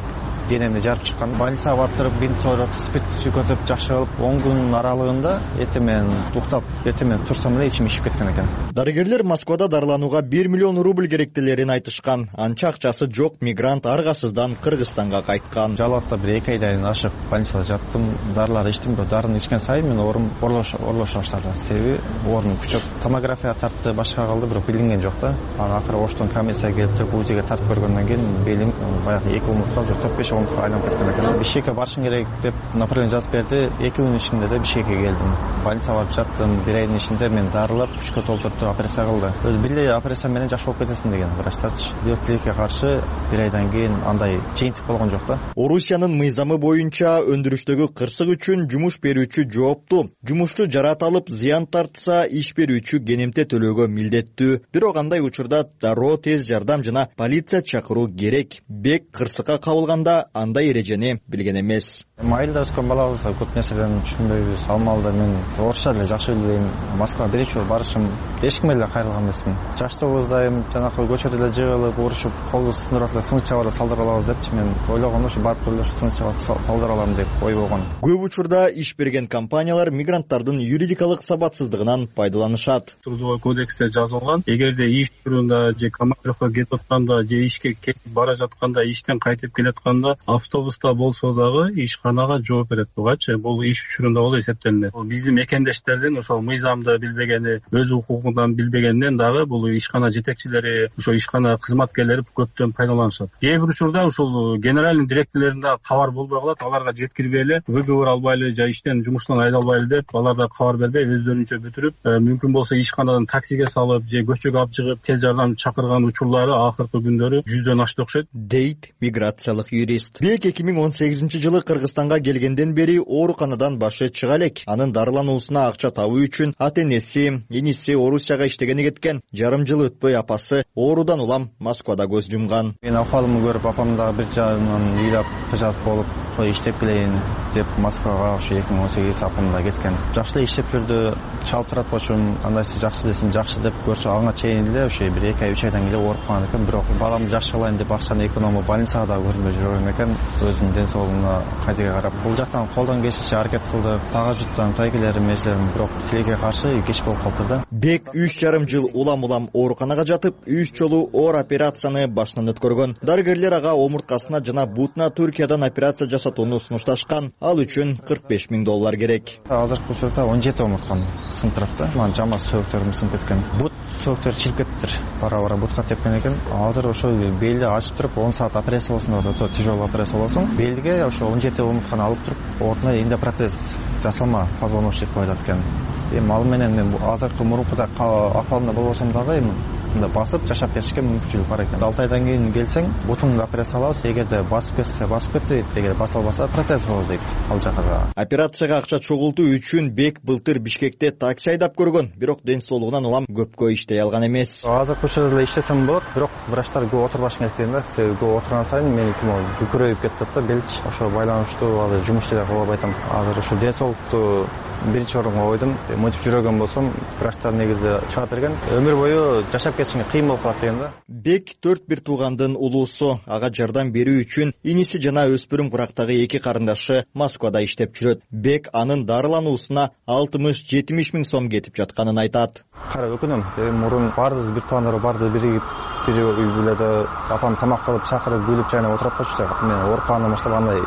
денемди жарып чыккан. Больницага барып туруп, бинт ороп, спирт көтөрүп жакшы кылып, 10 күн аралыгында этемен уктап, этемен турсам эле ичим ишип кеткен экен. Дарыгерлер Москвада дарыланууга 1 миллион рубль керектелерин айтышкан. Анча акчасы жок мигрант аргасыздан Кыргызстанга кайткан. Жалатта бир 2 айдан ашып больницада жаттым. Дарылар ичтим, бирок дарыны ичкен сайын мен оорум орлоша баштады. Себеби оорум күчөп, томография тартты, башка калды, бирок билинген жок да. Анан акыры Оштон комиссия келип туруп УЗИге тартып көргөндөн кийин белим баягы 2 омуртка уже 4-5 омуртка айланып кеткен экен. Бишкекке барышым керек деп направление жазып берди. 2 күн ичинде де Бишкекке келдим. Больницага барып жаттым. 1 айдын ичинде мен дарылап, күчкө толтуруп операция кылды. Өз бирдей операция менен жакшы болуп кетесиң деген врачтарчы. Диабетке каршы 1 айдан кийин андай жыйынтык болгон жок да. Орусиянын мыйзамы боюнча өндүрүштөгү кырсык үчүн жумуш берүүчү жооптуу. Жумушчу жарат алып, зыян тартса, иш берүүчү кенемте төлөөгө милдеттүү. Бирок андай учурда дароо тез жардам жана полиция чакыруу керек. Бек кырсыкка кабылганда андай эрежени билген эмес. Айылда өскөн балабыз көп нерседен түшүнбөйбүз. Ал маалда мен орусча деле жакшы билбейм. Москвага биринчи жолу барышым эч кимге деле кайрылган эмесмин. Жаштыгыбыздайм, жанакы көчөдө эле жыгылып, урушуп, колду сындырып эле сынык чабара салдырып алабыз депчи мен ойлогом ушу барып эле сынык чабара салдырып алам деп ой болгон. Көп учурда иш берген компаниялар мигранттардын юридикалык сабатсыздыгынан пайдаланышат. Трудовой кодексте жазылган, эгерде иш учурунда же командировка кетип атканда же ишке кетип бара жатканда, иштен кайтып келатканда автобуста болсо дагы ишканага жооп берет бугачы. Бул иш учурунда болуп эсептелинет. Биздин мекендештердин ошол мыйзамды билбегени, өз укугунан билбегенинен дагы бул ишкана жетекчилери, ошо ишкана кызматкерлери көптөн пайдаланышат. Кээ бир учурда ушул генеральный директорлорунда кабар болбой калат, аларга жеткирбей эле, выговор албай эле же иштен жумуштан айдалбай эле деп, аларга кабар бербей өздөрүнчө бүтүрүп, мүмкүн болсо ишканадан таксиге салып же көчөгө алып чыгып тез жардам чакырган учурлары акыркы күндөрү 100дөн ашты окшойт, дейт миграциялык юрист. Бек 2018 жылы Кыргызстанга келгенден бери ооруканадан башы чыга элек. Анын дарылануусуна акча табуу үчүн ата-энеси, иниси Орусияга иштегени кеткен. Жарым жыл өтпөй апасы оорудан улам Москвада көз жумган. Мен акыбалымды көрүп, апам дагы бир жагынан ыйлап, кыжат болуп, иштеп келейин деп Москвага ошо 2018 апамда кеткен. Жакшы эле иштеп жүрдү, чалып турат болчум, андайсы жакшы билесиң, жакшы деп көрсө аңа чейин эле ошо бир 2 ай 3 айдан кийин ооруп калган экен. Бирок баламды жакшы кылайын деп акчаны экономдоп больницага да көрүнбөй жүргөн экен. Өзүнүн ден соолугуна кайдыга карап, бул жактан колдон келишинче аракет кылды. Тага жуттан тайкелерим, межелерим, бирок тилекке каршы кеч болуп калды да. Бек 3,5 жыл улам ооруканага жатып, 3 жолу оор операцияны башынан өткөргөн. Дарыгерлер ага омурткасына жана бутуна Түркиядан операция жасатууну сунушташкан. Ал үчүн $45,000 керек. Азыркы учурда 17 омурткам сынып турат да. Ман жама сөөктөрүм сынып кеткен. Бут сөөктөр чилип кетиптир. Бара бутка тепкен экен. Азыр ошо белди ачып туруп 10 саат операция болсун деп атат. Тяжелый операция болсун. Белге ошо 17 омуртканы алып туруп, ордуна эндопротез жасалма позвоночник коюлат экен. Эми ал менен мен азыркы мурункудай акыбалымда болбосом дагы эми саатында басып жашап кетишке мүмкүнчүлүк бар экен. 6 айдан кийин келсең бутунга операциялабыз, эгерде басып кетсе дейт, эгер баса албаса протез коебуз дейт ал жакка. Операцияга акча чогултуу үчүн Бек былтыр Бишкекте такси айдап көргөн, бирок ден соолугунан улам көпкө иштей алган эмес. Азыркы учурда эле иштесем болот, бирок врачтар көп отурбаш керек деген да. Көп отурган сайын мен күкүрөйүп кетип да белч. Ошо байланыштуу азыр жумуш деле кыла албайтам. Азыр ушу ден соолукту биринчи орунга койдум. Мынтип жүрөгөн болсом, врачтар негизи чыгат берген. Өмүр бою жашап кетишиңе кыйын болуп калат деген да. Бек 4 туугандын улуусу, ага жардам берүү үчүн иниси жана өспүрүм курактагы 2 карындашы Москвада иштеп жүрөт. Бек анын дарылануусуна 60-70 миң сом кетип жатканын айтат. Карап өкүнөм. Мурун бардык бир туугандар барды биригип, бир үй бүлөдө апам тамак кылып чакырып күлүп жайнап отуруп койчу. Мен оорукандан баштап андай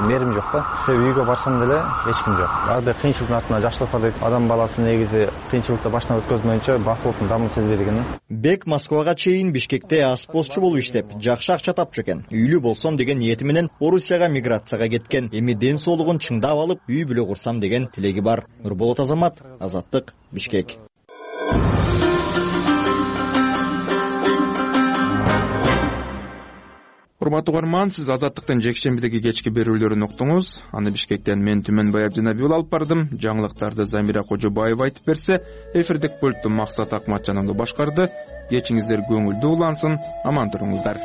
мээрим жок да. Үйгө барсам деле эч ким жок. Ар бир кыйынчылыктын артынан жакшылык бар дейт. Адам баласы негизи кыйынчылыкты башынан өткөзмөйүнчө бактылыктын дамын сезбейт экен. Бек Москвага чейин Бишкекте аспозчу болуп иштеп, жакшы акча тапчу экен. Үйлүү болсом деген ниети менен Орусияга миграцияга кеткен. Эми ден соолугун чыңдап алып, үй бүлө курсам деген тилеги бар. Нурболот Азамат, Азаттык, Бишкек. Урматтуу угарман, сиз Азаттыктын жекшембидеги кечки берүүлөрүн уктуңуз. Аны Бишкектен мен Түмөнбай Абдинабиул алып бардым. Жаңылыктарды Замира Кожобаева айтып берсе, эфирдик пультту Максат Акматжановду башкарды. Кечиңиздер көңүлдүү улансын, аман туруңуздар.